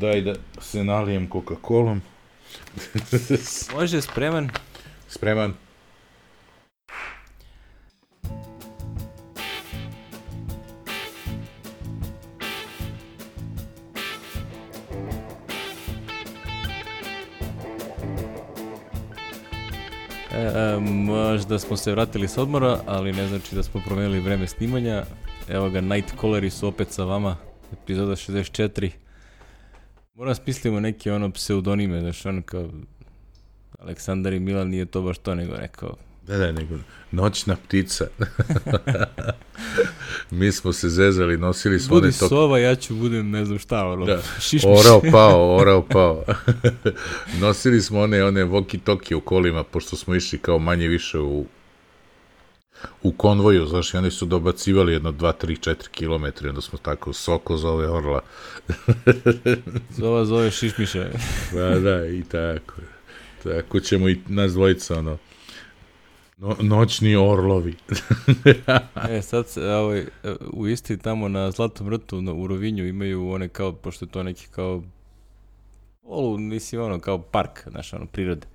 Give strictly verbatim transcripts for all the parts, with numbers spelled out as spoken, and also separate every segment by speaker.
Speaker 1: Daj da se nalijem Coca-Colom.
Speaker 2: Može, spreman?
Speaker 1: Spreman.
Speaker 2: E, možda smo se vratili s odmora, ali ne znači da smo promenili vreme snimanja. Evo ga, Nightcalleri su opet sa vama, epizoda šezdeset četiri. Moram smislimo neke ono pseudonime, znaš, ono kao Aleksandar i Milan, nije to baš to, nego rekao...
Speaker 1: Da, da, nego noćna ptica. Mi smo se zezali, nosili smo...
Speaker 2: Budi
Speaker 1: one tok...
Speaker 2: sova, ja ću budem ne znam šta, ono,
Speaker 1: da.
Speaker 2: šišmiš.
Speaker 1: Orao pao, orao pao. Nosili smo one, one walkie-talkie u kolima, pošto smo išli kao manje više u u konvoju, znaš, i oni su dobacivali jedno dva, tri, četiri kilometra, onda smo tako, Soko zove orla.
Speaker 2: Zova zove šišmiša.
Speaker 1: Da, da, i tako. Tako ćemo i nas dvojica, ono, no, noćni orlovi.
Speaker 2: E, sad se, ovaj, u Istri tamo na Zlatom vrtu na, u Rovinju imaju one kao, pošto je to neki kao polu, mislim, ono, kao park, znaš, ono, prirode.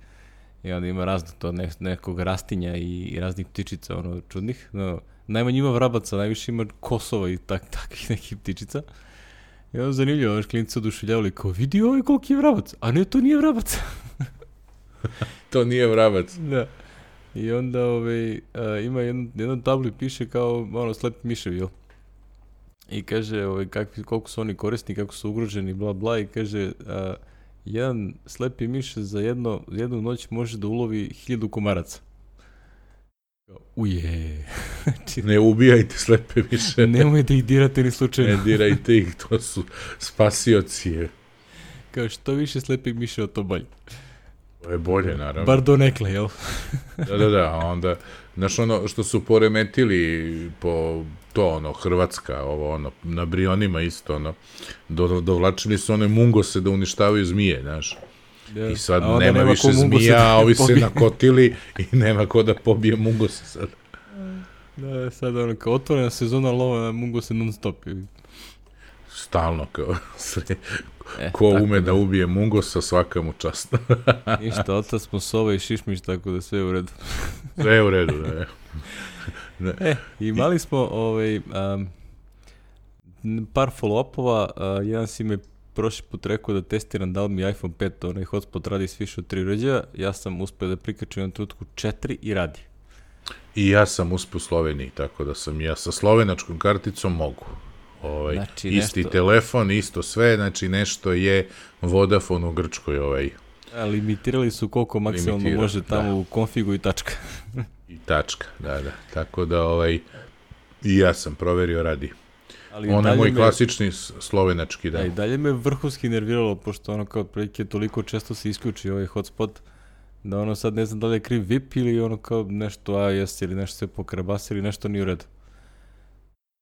Speaker 2: I onda ima razno to ne, nekog rastinja i, i raznih ptičica, ono, čudnih. No, najmanje ima vrabaca, najviše ima kosova i tak, takvih nekih ptičica. I onda zanimljivo, ono, klinici oduševljavali, kao, vidi ovaj koliki je vrabac, a ne, to nije vrabac.
Speaker 1: To nije vrabac.
Speaker 2: Da. I onda ovaj, uh, ima jedan, jedan tabli piše kao ono slepi miševi, jel? I kaže ovaj, kakvi, koliko su oni korisni, kako su ugroženi, bla bla, i kaže uh, jedan slepi miš za jedno, jednu noć može da ulovi hiljadu komaraca. Uje.
Speaker 1: Ne ubijajte slepe miše.
Speaker 2: Nemoj da ih dirate ni slučajno.
Speaker 1: Ne dirajte ih, to su spasioci.
Speaker 2: Kao što više slepih miša, to bolje.
Speaker 1: To je bolje, naravno.
Speaker 2: Bar do nekle, jel?
Speaker 1: Da, da, da, onda, znaš ono što su poremetili po to, ono, Hrvatska, ovo, ono, na Brionima isto, ono, do, dovlačili su one mungose da uništavaju zmije, znaš.
Speaker 2: Ja.
Speaker 1: I sad
Speaker 2: nema,
Speaker 1: nema više zmija, a ovi se nakotili i nema ko da pobije mungose sad.
Speaker 2: Da, sad ono, kao otvorena sezona lova na mungose non stop.
Speaker 1: Stalno, kao, sve.
Speaker 2: E,
Speaker 1: ko ume da, da ubije mungosa, svaka mu čast.
Speaker 2: Ništa, otac smo sova i šišmiš, tako da sve je u redu.
Speaker 1: Sve je u redu, da je.
Speaker 2: Ne. E, imali smo ovaj, um, par follow-upova, uh, jedan si me prošli put rekao da testiram da li mi iPhone pet, onaj hotspot radi s više od tri uređaja, ja sam uspio da prikačem na trenutku četiri i radi.
Speaker 1: I ja sam uspio u Sloveniji, tako da sam ja sa slovenačkom karticom mogu. Ovaj, znači, isti nešto... telefon, isto sve, znači nešto je Vodafone u Grčkoj. Ovaj.
Speaker 2: A, limitirali su koliko maksimalno Limitira, može tamo da. U konfigu i tačka.
Speaker 1: I tačka, da, da. Tako da ovaj, i ja sam proverio, radi. Ali ono je moj me, klasični slovenački, da.
Speaker 2: A i dalje me vrhunski nerviralo, pošto ono kao prilike toliko često se isključi ovaj hotspot, da ono sad ne znam da li je kriv V I P ili ono kao nešto A S ili nešto se pokrabasi ili nešto nije u redu.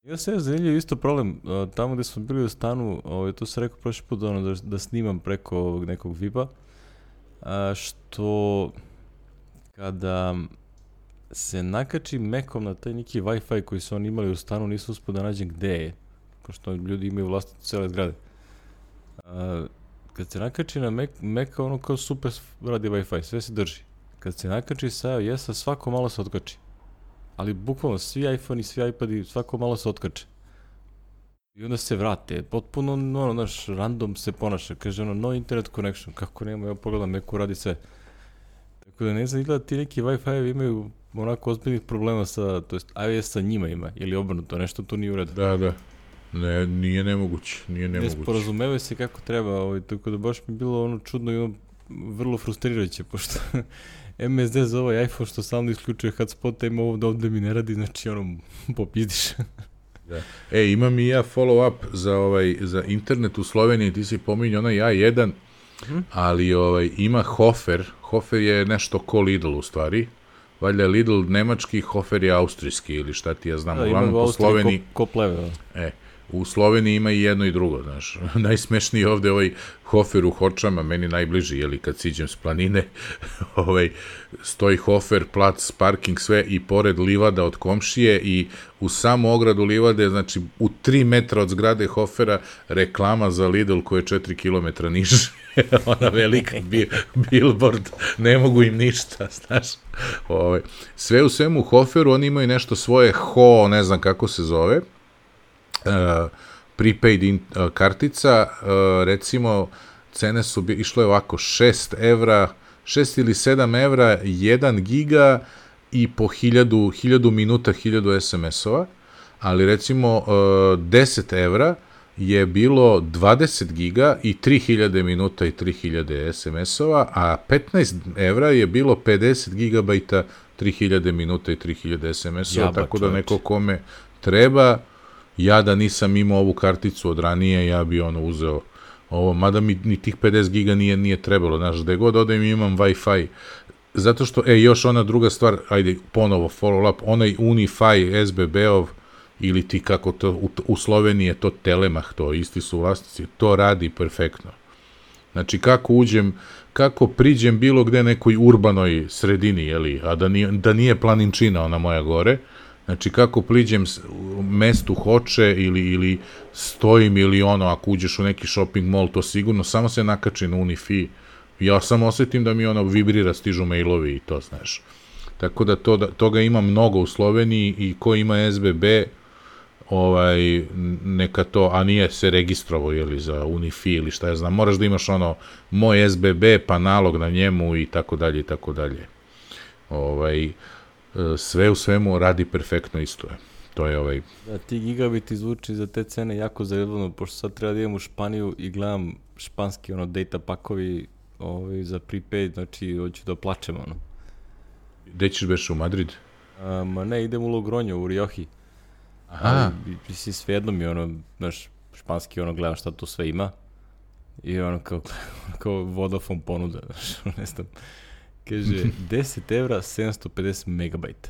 Speaker 2: Ja se je zanimljiv isto problem, uh, tamo gde smo bili u stanu, ovaj, to sam rekao prošli put ono, da, da snimam preko ovog nekog V I P-a, a, što kada se nakači Macom na taj neki Wi-Fi koji su oni imali u stanu, nisu uspio da nađem gde je, pošto ljudi imaju vlastitu cele zgrade. A, kad se nakači na Mac, Mac ono kao super radi Wi-Fi, sve se drži. Kad se nakači sa iOS-a, svako malo se otkači. Ali bukvalno svi iPhone i svi iPadi svako malo se otkače. I onda se vrate. Potpuno, ono, naš random se ponaša. Kaže ono, no internet connection. Kako nema, ja pogledam, neko radi sve. Tako da ne znam, izgleda ti neki Wi-Fi imaju onako ozbiljnih problema sa, to jest iOS sa njima ima. Ili obrnuto, nešto tu nije u redu.
Speaker 1: Da, da. Ne, nije nemoguće. Nije nemoguće.
Speaker 2: Ne sporazumevaju se kako treba. Ovaj, tako da baš mi bilo ono čudno i ono vrlo frustrirajuće, pošto... M S D za ovaj iPhone što stalno isključuje hotspot, ima ovo da ovde mi ne radi, znači ono, popizdiš.
Speaker 1: Da. E, imam i ja follow-up za, ovaj, za internet u Sloveniji, ti si pominjao onaj A jedan, hmm. ali ovaj, ima Hofer, Hofer je nešto ko Lidl u stvari, valjda je Lidl nemački, Hofer je austrijski ili šta ti ja znam,
Speaker 2: da,
Speaker 1: uglavnom po Sloveniji.
Speaker 2: Ko, ko pleve,
Speaker 1: e, u Sloveniji ima i jedno i drugo, znaš. Najsmešniji ovde ovaj Hofer u Hočama, meni najbliži, jeli, kad siđem s planine, ovaj, stoji Hofer, plac, parking, sve, i pored livada od komšije, i u samu ogradu livade, znači, u tri metra od zgrade Hofera, reklama za Lidl koja je četiri kilometra niže, ona velika billboard, ne mogu im ništa, znaš. Ovaj, sve u svemu u Hoferu, oni imaju nešto svoje ho, ne znam kako se zove, Uh, prepaid in, uh, kartica, uh, recimo cene su bi, išlo je ovako šest evra, šest ili sedam evra, jedan giga i po hiljadu, hiljadu minuta, hiljadu es em es-ova, ali recimo uh, deset evra je bilo dvadeset giga i tri hiljade minuta i tri hiljade es em es-ova, a petnaest evra je bilo pedeset gigabajta, tri hiljade minuta i tri hiljade es em es-ova, Jaba, tako da čovječ. Neko kome treba, ja da nisam imao ovu karticu od ranije, ja bi ono uzeo ovo, mada mi ni tih pedeset giga nije, nije trebalo, znaš, da god odem imam Wi-Fi, zato što, e, još ona druga stvar, ajde, ponovo follow up, onaj Unify es be be-ov, ili ti kako to, u, u Sloveniji je to Telemach, to isti su vlasnici, to radi perfektno. Znači, kako uđem, kako priđem bilo gde nekoj urbanoj sredini, jeli, a da nije, da nije Planinčina, ona moja gore, znači, kako priđem mestu Hoče ili, ili stojim ili ono, ako uđeš u neki shopping mall, to sigurno, samo se nakači na Unifi. Ja samo osetim da mi ono vibrira, stižu mailovi i to, znaš. Tako da, to, da toga ima mnogo u Sloveniji i ko ima es be be, ovaj, neka to, a nije se registrovao, jeli, za Unifi ili šta ja znam, moraš da imaš ono, moj es be be, pa nalog na njemu i tako dalje i tako dalje. Ovaj, sve u svemu radi perfektno isto je. To je ovaj...
Speaker 2: Da, ti gigabiti zvuči za te cene jako zajebano, pošto sad treba da idem u Španiju i gledam španski ono data pakovi ovaj, za prepaid, znači hoću da plačem ono.
Speaker 1: Gde ćeš beš u Madrid?
Speaker 2: A, ma ne, idem u Logroño, u Rioji.
Speaker 1: Aha.
Speaker 2: Mislim, svejedno mi ono, znaš, španski ono gledam šta tu sve ima i ono kao, kao Vodafone ponuda, znaš, ne znam. Kaže, deset evra, sedamsto pedeset megabajta.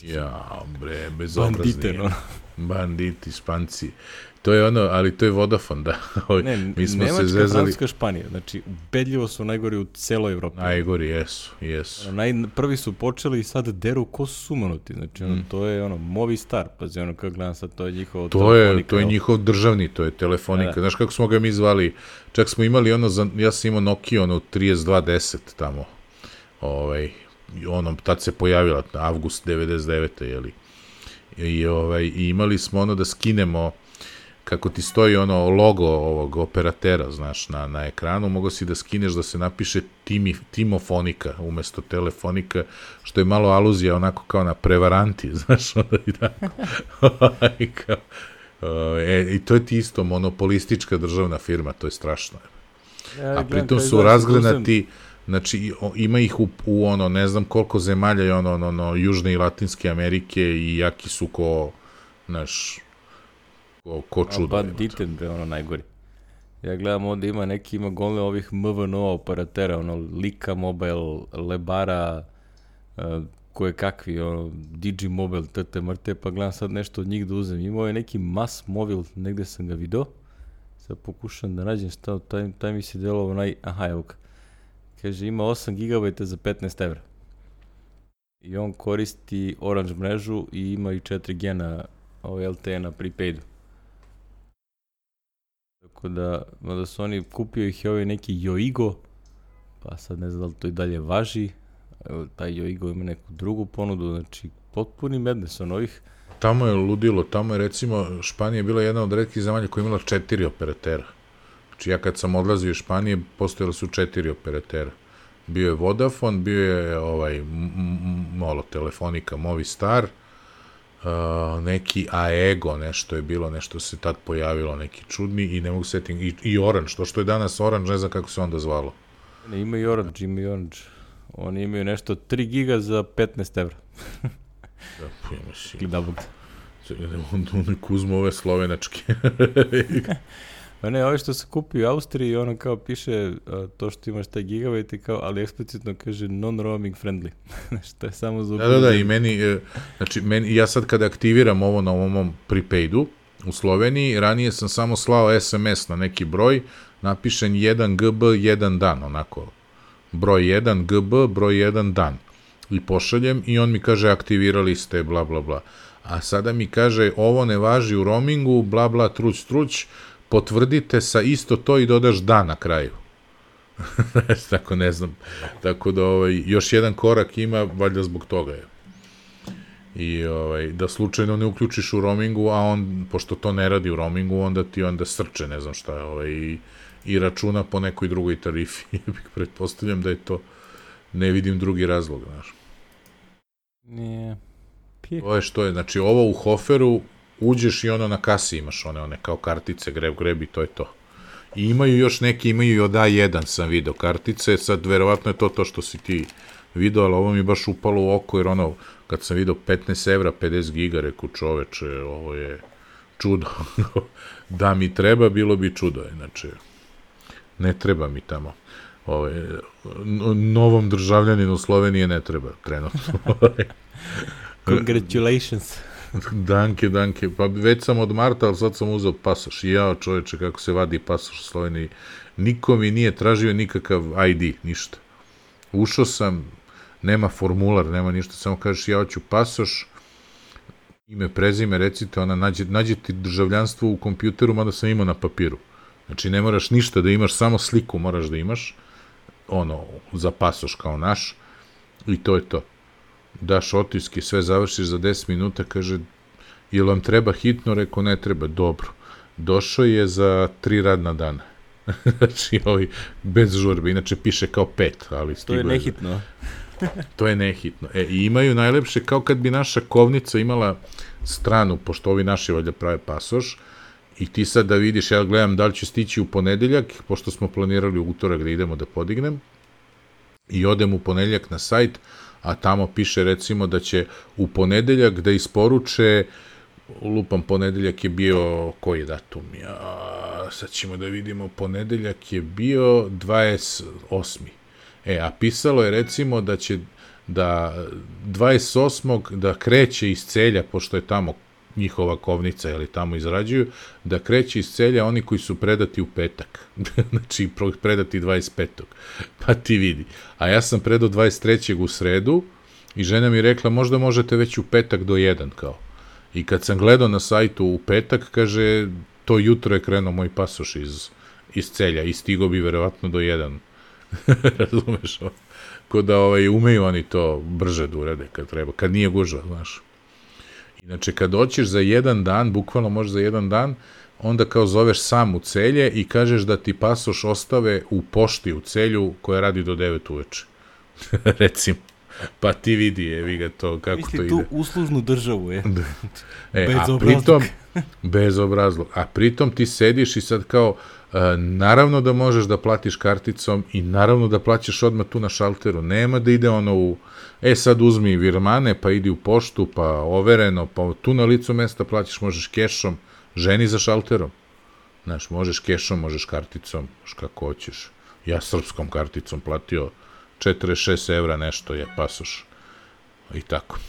Speaker 1: Ja, bre, bezobrazni.
Speaker 2: Bandite, no.
Speaker 1: Banditi, Španci. To je ono, ali to je Vodafone, da.
Speaker 2: Ne,
Speaker 1: mi smo
Speaker 2: Nemačka,
Speaker 1: se zezali...
Speaker 2: Francuska, Španija. Znači, ubedljivo su najgori u celoj Evropi.
Speaker 1: Najgori, jesu, jesu.
Speaker 2: Naj, prvi su počeli i sad deru ko su sumanuti. Znači, ono, mm. to je ono, Movistar. Pazi, ono, kako gledam sad, to je njihovo
Speaker 1: to telefonika. Je, to je njihov državni, to je telefonika. Da, da. Znaš kako smo ga mi zvali? Čak smo imali ono, za, ja sam imao Nokia, ono, trideset dva deset tamo. Ovaj, ono, tad se pojavila, avgust devedeset devete, jeli. I, ovaj, i imali smo ono da skinemo, kako ti stoji ono logo ovog operatera, znaš, na, na ekranu, mogo si da skineš da se napiše timi, Timofonika umesto telefonika, što je malo aluzija onako kao na prevaranti, znaš, onda i tako. e, I to je ti isto monopolistička državna firma, to je strašno. Ja, a pritom su razgranati, znači ima ih u, u ono, ne znam koliko zemalja je ono, ono, ono, Južne i Latinske Amerike i jaki su ko, znaš, ko, ko čudo.
Speaker 2: A bad diten, bre, ono najgori. Ja gledam ovde ima neki, ima gole ovih M V N O operatera, ono, Lika Mobile, Lebara, uh, koje kakvi, ono, Digimobile, tete mrte, pa gledam sad nešto od njih da uzem. Imao je neki Mass Mobile, negde sam ga video, sad pokušam da nađem šta, taj, taj mi se delovao naj, aha, evo ga. Kaže, ima osam gigabajta za petnaest evra. I on koristi Orange mrežu i ima i četiri G na ovaj L T E na prepaidu. Tako da, da su oni, kupio ih i ovaj neki Yoigo, pa sad ne znam da li to i dalje važi. Evo, taj Yoigo ima neku drugu ponudu, znači potpuni mednes on ovih.
Speaker 1: Tamo je ludilo, tamo je recimo, Španija je bila jedna od retkih zemalja koja je imala četiri operatera. Znači ja kad sam odlazio iz Španije, postojali su četiri operatera. Bio je Vodafone, bio je ovaj, malo telefonika Movistar, uh, neki Aego, nešto je bilo, nešto se tad pojavilo, neki čudni i ne mogu setiti, i, i Orange, to što je danas Orange, ne znam kako se onda zvalo.
Speaker 2: Ne, ima i Orange, ima i Orange. Oni imaju nešto tri giga za petnaest evra.
Speaker 1: Da, pojeme si.
Speaker 2: Ili da bog.
Speaker 1: Oni kuzmu ove slovenačke.
Speaker 2: Pa ne, ovo što se kupi u Austriji, ono kao piše uh, to što imaš taj gigabajt i kao, ali eksplicitno kaže non-roaming friendly. Što je samo za...
Speaker 1: Da, da, da, i meni, znači, meni, ja sad kada aktiviram ovo na ovom prepaidu, u Sloveniji, ranije sam samo slao es em es na neki broj, napišen jedan ge be, jedan dan, onako, broj jedan ge be, broj jedan dan, i pošaljem i on mi kaže aktivirali ste, bla, bla, bla. A sada mi kaže ovo ne važi u roamingu, bla, bla, truć, truć, potvrdite sa isto to i dodaš dan na kraju. Tako ne znam. Tako da ovaj, još jedan korak ima, valjda zbog toga je. I ovaj, da slučajno ne uključiš u roamingu, a on, pošto to ne radi u roamingu, onda ti onda srče, ne znam šta, ovaj, i, i računa po nekoj drugoj tarifi. Pretpostavljam da je to, ne vidim drugi razlog, znaš.
Speaker 2: Nije.
Speaker 1: To je što je, znači ovo u Hoferu uđeš i ono na kasi imaš one, one kao kartice, greb, greb i to je to. I imaju još neki, imaju i od A jedan sam video kartice, sad verovatno je to to što si ti video, ali ovo mi je baš upalo u oko, jer ono, kad sam video petnaest evra, pedeset giga, reku čoveče, ovo je čudo. Da mi treba, bilo bi čudo, znači, ne treba mi tamo. Ove, novom državljaninu Slovenije ne treba, trenutno.
Speaker 2: Congratulations.
Speaker 1: Danke, danke. Pa već sam od marta, ali sad sam uzeo pasoš. I jao čoveče, kako se vadi pasoš u Sloveniji. Niko mi nije tražio nikakav I D, ništa. Ušao sam, nema formular, nema ništa, samo kažeš ja hoću pasoš, ime, prezime, recite, ona nađe, nađe ti državljanstvo u kompjuteru, mada sam imao na papiru. Znači ne moraš ništa da imaš, samo sliku moraš da imaš, ono, za pasoš kao naš, i to je to. Daš otiske, sve završiš za deset minuta, kaže, jel vam treba hitno? Rekao, ne treba, dobro. Došao je za tri radna dana. Znači, ovaj, bez žurbe, inače piše kao pet, ali
Speaker 2: to je nehitno.
Speaker 1: To je nehitno. E, i imaju najlepše, kao kad bi naša kovnica imala stranu, pošto ovi naši valjda prave pasoš, i ti sad da vidiš, ja gledam da li ću stići u ponedeljak, pošto smo planirali u utorak da idemo da podignem, i odem u ponedeljak na sajt, a tamo piše recimo da će u ponedeljak da isporuče, lupam, ponedeljak je bio, koji je datum? Ja, sad ćemo da vidimo, ponedeljak je bio dvadeset osmi E, a pisalo je recimo da će da dvadeset osmog da kreće iz Celja, pošto je tamo njihova kovnica, ili tamo izrađuju, da kreće iz Celja oni koji su predati u petak. Znači, predati dvadeset petog Pa ti vidi. A ja sam predao dvadeset trećeg u sredu i žena mi rekla, možda možete već u petak do jedan, kao. I kad sam gledao na sajtu u petak, kaže, to jutro je krenuo moj pasoš iz, iz Celja i stigo bi verovatno do jedan. Razumeš? Ko da ovaj, umeju oni to brže da urade kad treba, kad nije gužva, znaš. Inače, kad doćeš za jedan dan, bukvalno možeš za jedan dan, onda kao zoveš sam u Celje i kažeš da ti pasoš ostave u pošti u Celju koja radi do devet uveče. Recimo. Pa ti vidi, evi ga to, kako
Speaker 2: Misli,
Speaker 1: to ide.
Speaker 2: Misli tu uslužnu državu, je.
Speaker 1: E, a pritom, bezobrazluk. A pritom ti sediš i sad kao, uh, naravno da možeš da platiš karticom i naravno da plaćaš odmah tu na šalteru. Nema da ide ono u, e sad uzmi virmane, pa idi u poštu, pa overeno, pa tu na licu mesta plaćaš, možeš kešom, ženi za šalterom. Znaš, možeš kešom, možeš karticom, možeš kako hoćeš. Ja srpskom karticom platio četrdeset šest evra nešto je pasoš. I tako.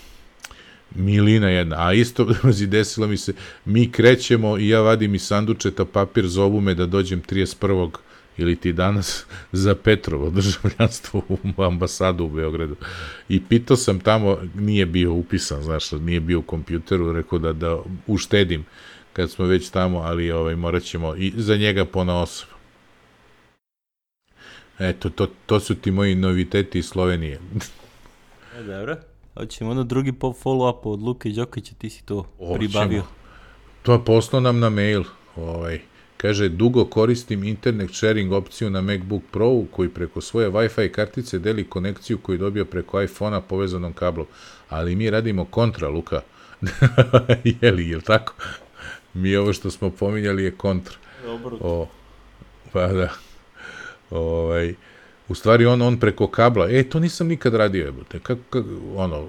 Speaker 1: Milina jedna. A isto desilo mi se, mi krećemo i ja vadim iz sandučeta papir, zovu me da dođem trideset prvog ili ti danas za Petrovo državljanstvo u ambasadu u Beogradu. I pitao sam tamo, nije bio upisan, znaš, nije bio u kompjuteru, rekao da, da uštedim kad smo već tamo, ali ovaj, morat ćemo i za njega ponaosob. Eto, to, to su ti moji noviteti iz Slovenije.
Speaker 2: E, dobro. Hoćemo onda drugi pop follow-up od Luke Đokića, ti si to pribavio.
Speaker 1: To je poslao nam na mail. Ovaj, kaže, dugo koristim internet sharing opciju na MacBook Pro, koji preko svoje Wi-Fi kartice deli konekciju koju dobio preko iPhone-a povezanom kablom. Ali mi radimo kontra, Luka. Jeli, jel tako? Mi ovo što smo pominjali je kontra.
Speaker 2: Dobro.
Speaker 1: O, pa da. Ovaj, u stvari on, on preko kabla, e, to nisam nikad radio, jebote, kako, kako, ono,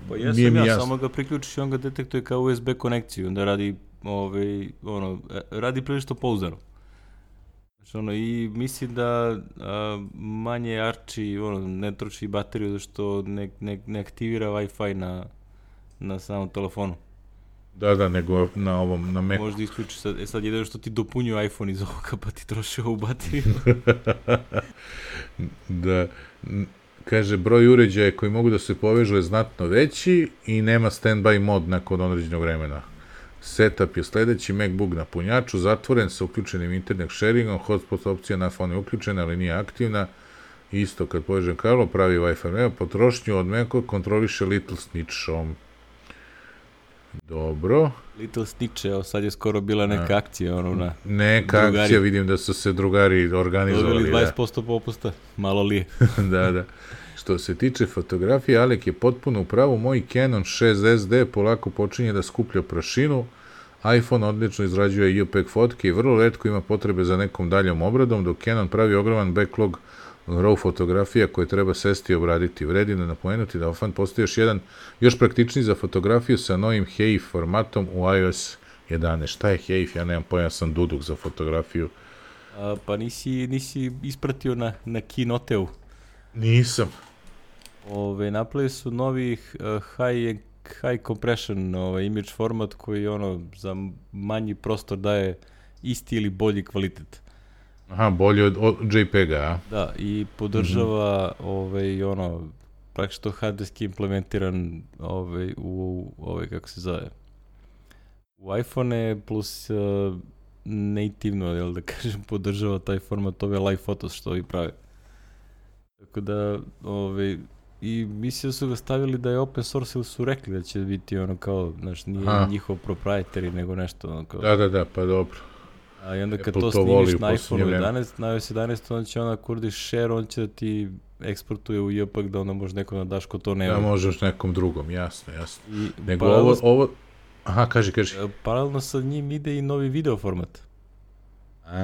Speaker 2: pa jesam ja, jasno. Samo ga priključiš i on ga detektuje kao U S B konekciju, onda radi, ovaj, ono, radi prilično pouzdano. Znači, ono, i mislim da a, manje arči, ono, ne troši bateriju, zašto ne, ne, ne aktivira Wi-Fi na, na samom telefonu.
Speaker 1: Da, da, nego na ovom, na Macu.
Speaker 2: Možda isključi sad, e sad jedino što ti dopunju iPhone iz ovoga, pa ti troši ovu bateriju.
Speaker 1: Da, kaže, broj uređaja koji mogu da se povežu je znatno veći i nema stand-by mod nakon određenog vremena. Setup je sledeći, MacBook na punjaču, zatvoren sa uključenim internet sharingom, hotspot opcija na fonu je uključena, ali nije aktivna. Isto kad povežem kablo, pravi Wi-Fi, potrošnju od Maca kontroliše Little Snitchom. Dobro.
Speaker 2: Little Snitch, evo sad je skoro bila neka A. akcija, ono na...
Speaker 1: Neka drugari. Akcija, vidim da su se drugari organizovali.
Speaker 2: Dobili dvadeset posto da. Popusta, malo li je.
Speaker 1: Da, da. Što se tiče fotografije, Alek je potpuno u pravu, moj Canon šest S D polako počinje da skuplja prašinu, iPhone odlično izrađuje JPEG fotke i vrlo retko ima potrebe za nekom daljom obradom, dok Canon pravi ogroman backlog RAW fotografija koje treba sesti i obraditi. Vredi da napomenuti da ofan postoji još jedan, još praktičniji za fotografiju sa novim H E I F formatom u iOS jedanaest. Šta je H E I F? Ja nemam pojma, sam duduk za fotografiju.
Speaker 2: A, pa nisi, nisi ispratio na, na Keynoteu?
Speaker 1: Nisam.
Speaker 2: Ove, napravili su novi uh, high, high compression ovaj, image format koji ono za manji prostor daje isti ili bolji kvalitet.
Speaker 1: Aha, bolje od, od JPEG-a, a?
Speaker 2: Da, i podržava mm-hmm. ovaj, ono, praktično hardverski implementiran ovaj, u, ovaj, kako se zove, u iPhone plus uh, nativno, jel da kažem, podržava taj format ove live photos što ovi prave. Tako da, ovaj, i mislim da su ga stavili da je open source ili su rekli da će biti ono kao, znaš, nije Aha. njihov proprietary, nego nešto ono kao...
Speaker 1: Da, da, da, pa dobro.
Speaker 2: A i onda kad Apple to snimiš na iPhone jedanaest, na iOS jedanaest, onda će ona kurdiš share, on će da ti eksportuje u JPEG da onda može neko da daš ko to nema.
Speaker 1: Da, možeš nekom drugom, jasno, jasno. I nego ovo, ovo... Aha, kaži, kaži.
Speaker 2: Paralelno sa njim ide i novi video format.
Speaker 1: A,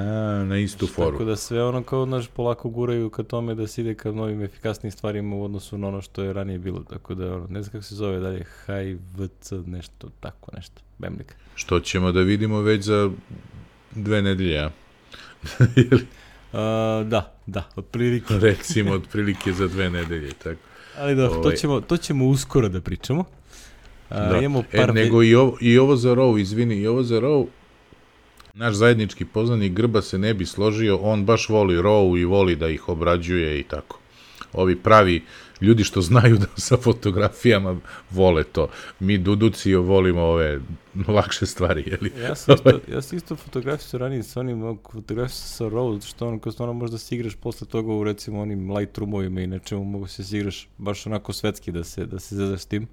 Speaker 1: na istu foru.
Speaker 2: Tako da sve ono kao, znaš, polako guraju ka tome da se ide ka novim efikasnim stvarima u odnosu na ono što je ranije bilo. Tako da, ono, ne znam kako se zove dalje, H I V C, nešto, tako nešto, Bemlik.
Speaker 1: Što ćemo da vidimo već za dve nedelje, a?
Speaker 2: uh, da, da, otprilike.
Speaker 1: Recimo, otprilike za dve nedelje, tako.
Speaker 2: Ali da, to ćemo, to ćemo uskoro da pričamo. Uh,
Speaker 1: da.
Speaker 2: Imamo par
Speaker 1: e, nego i ovo, i ovo za RAW, izvini, i ovo za RAW, naš zajednički poznanik Grba se ne bi složio, on baš voli RAW i voli da ih obrađuje i tako. Ovi pravi ljudi što znaju da sa fotografijama vole to. Mi duduci volimo ove lakše stvari, jeli?
Speaker 2: Ja sam isto, ja sam isto fotografiju sa ranije sa onim fotografiju sa RAW, što ono, kao stvarno možda se igraš posle toga u recimo onim Lightroomovima i nečemu, mogu se se igraš baš onako svetski da se, da se zezaš s tim.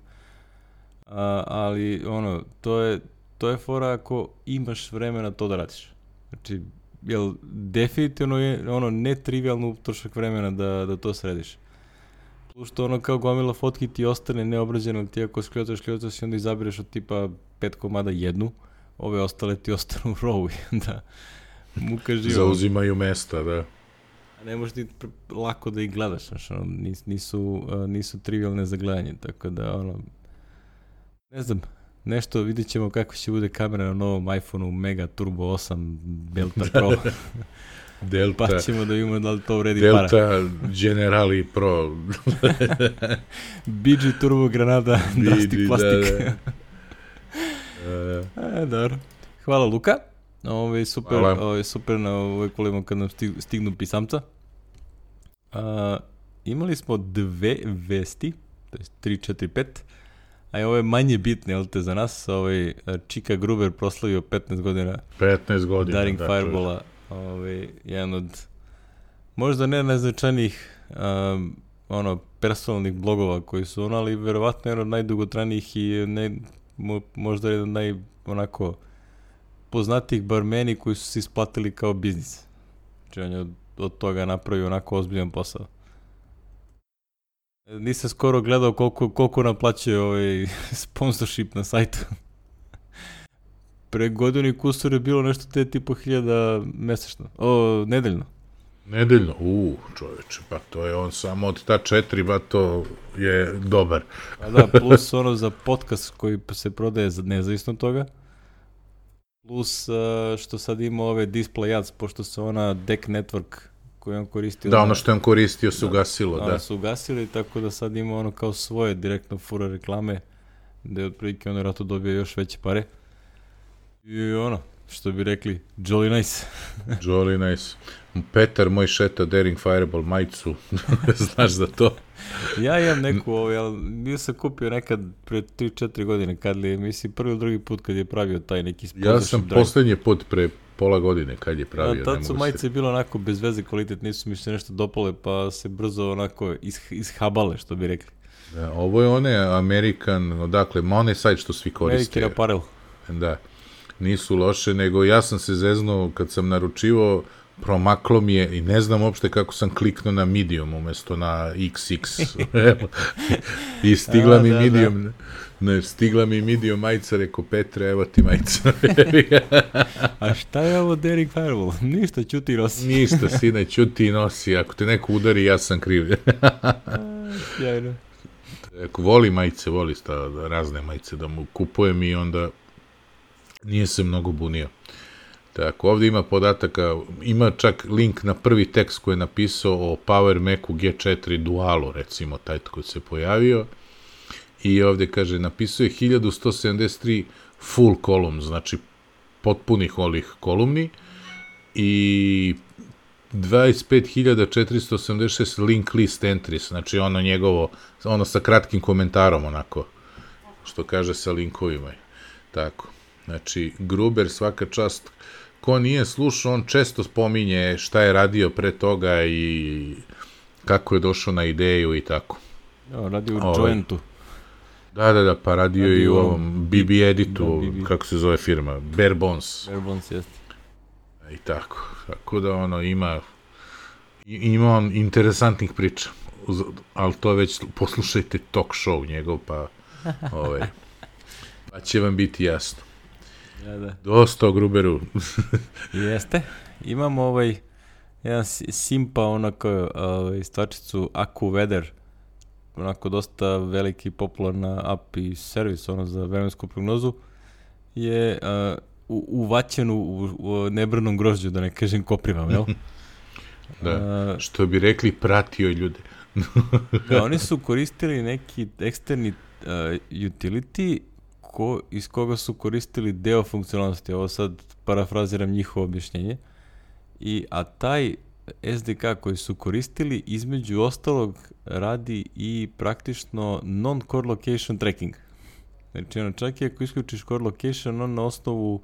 Speaker 2: A, ali ono, to je To je fora ako imaš vremena to da radiš. Znači, jel, definitivno je ono netrivialno utrošak vremena da, da to središ. Plus što ono kao gomila fotki ti ostane neobrađeno, ti ako skljotaš, skljotaš i onda izabireš od tipa pet komada jednu, ove ostale ti ostanu u rovu i da muka živa.
Speaker 1: Zauzimaju mesta, da.
Speaker 2: A ne možeš ti lako da ih gledaš, znači, ono, nis, nisu, nisu trivialne za gledanje, tako da ono, ne znam, nešto, vidjet ćemo kako će bude kamera na novom iPhoneu Mega Turbo osam Delta Pro.
Speaker 1: Delta.
Speaker 2: Pa ćemo da vidimo da li to vredi
Speaker 1: Delta
Speaker 2: para.
Speaker 1: Delta Generali Pro.
Speaker 2: B G Turbo Granada, Drastic Plastik. Da, da. E, dobro. Hvala Luka. Ovo je super, ovo je super na ovoj kolima kad nam stignu pisamca. A, imali smo dve vesti, to je tri, četiri, pet. A ovo je manje bitno, jel te, za nas, ovaj, Čika Gruber proslavio petnaest godina.
Speaker 1: petnaest godina,
Speaker 2: Daring
Speaker 1: da.
Speaker 2: Firebola, ovaj, jedan od, možda ne najznačajnijih, um, ono, personalnih blogova koji su ono, ali verovatno jedan od najdugotranijih i ne, mo, možda jedan od naj, onako, poznatijih bar meni koji su se isplatili kao biznis. Znači, on je od, od toga napravio onako ozbiljan posao. Nisam skoro gledao koliko, koliko naplaćuje ovaj sponsorship na sajtu. Pre godinu i kusur je bilo nešto te tipo hiljada mesečno. O, nedeljno.
Speaker 1: Nedeljno? Uuu, čoveče, pa to je on samo od ta četiri, ba to je dobar.
Speaker 2: A da, plus ono za podcast koji se prodaje nezavisno od toga. Plus uh, što sad ima ove display ads, pošto se ona Deck Network koji on koristio.
Speaker 1: Da, ono što je on koristio se ugasilo, da.
Speaker 2: Ono su ugasili, tako da sad ima ono kao svoje direktno fura reklame gde otprilike on vjerojatno dobio još veće pare. I ono, što bi rekli, jolly nice.
Speaker 1: Jolly nice. Petar moj šeta Daring Fireball majicu, znaš za to?
Speaker 2: Ja imam neku, ovaj, ali bio sam kupio nekad pre tri četiri godine, kad li je, mislim, prvi ili drugi put kad je pravio taj neki sponsorship.
Speaker 1: Ja sam
Speaker 2: drive.
Speaker 1: poslednji put pre pola godine kad je pravio.
Speaker 2: A, tad su majice se... bilo onako bez veze kvalitet, nisu mi se nešto dopale, pa se brzo onako is, ishabale, što bi rekli.
Speaker 1: Da, ovo je one American, odakle, ma onaj sajt što svi koriste.
Speaker 2: American Apparel.
Speaker 1: Da, nisu loše, nego ja sam se zeznuo kad sam naručivo, promaklo mi je i ne znam uopšte kako sam kliknuo na medium umjesto na iks iks. I stigla A, mi da, medium, da. Ne, stigla mi medium majica, reko Petre, evo ti majica.
Speaker 2: A šta je ovo Daring Fireball? Ništa, ćuti nosi.
Speaker 1: Ništa, sine, ćuti nosi. Ako te neko udari, ja sam kriv.
Speaker 2: Sjajno.
Speaker 1: Ako voli majice, voli sta, razne majice da mu kupujem i onda nije se mnogo bunio. Tako, ovdje ima podataka, ima čak link na prvi tekst koji je napisao o Power Macu G četiri Dualu, recimo, taj koji se pojavio. I ovdje kaže, napisao je hiljadu sto sedamdeset tri full column, znači potpunih ovih kolumni i dvadeset pet hiljada četiristo osamdeset šest link list entries, znači ono njegovo, ono sa kratkim komentarom, onako, što kaže sa linkovima. Tako, znači, Gruber svaka čast. Ko nije slušao, on često spominje šta je radio pre toga i kako je došao na ideju i tako.
Speaker 2: Ja, radio u Jointu.
Speaker 1: Da, da, da, pa radio, radio i u ovom B B Editu, da, B B. Kako se zove firma, Bare Bones.
Speaker 2: Bare Bones, jeste.
Speaker 1: I tako, tako da ono ima, ima on interesantnih priča, ali to već poslušajte talk show njegov, pa, ovaj, pa će vam biti jasno.
Speaker 2: Ja, da.
Speaker 1: Dosta o Gruberu.
Speaker 2: Jeste. Imamo ovaj jedan simpa onako ovaj, stvačicu AccuWeather, onako dosta veliki i popularna app i servis ono za vremensku prognozu, je uh, u, uvaćen u, u nebrnom grožđu, da ne kažem koprivam, jel?
Speaker 1: Da, uh, što bi rekli, pratio ljude.
Speaker 2: Da, oni su koristili neki eksterni uh, utility ko, iz koga su koristili deo funkcionalnosti. Ovo sad parafraziram njihovo objašnjenje. I, a taj es de ka koji su koristili između ostalog radi i praktično non-core location tracking. Znači ono, čak i ako isključiš core location, on na osnovu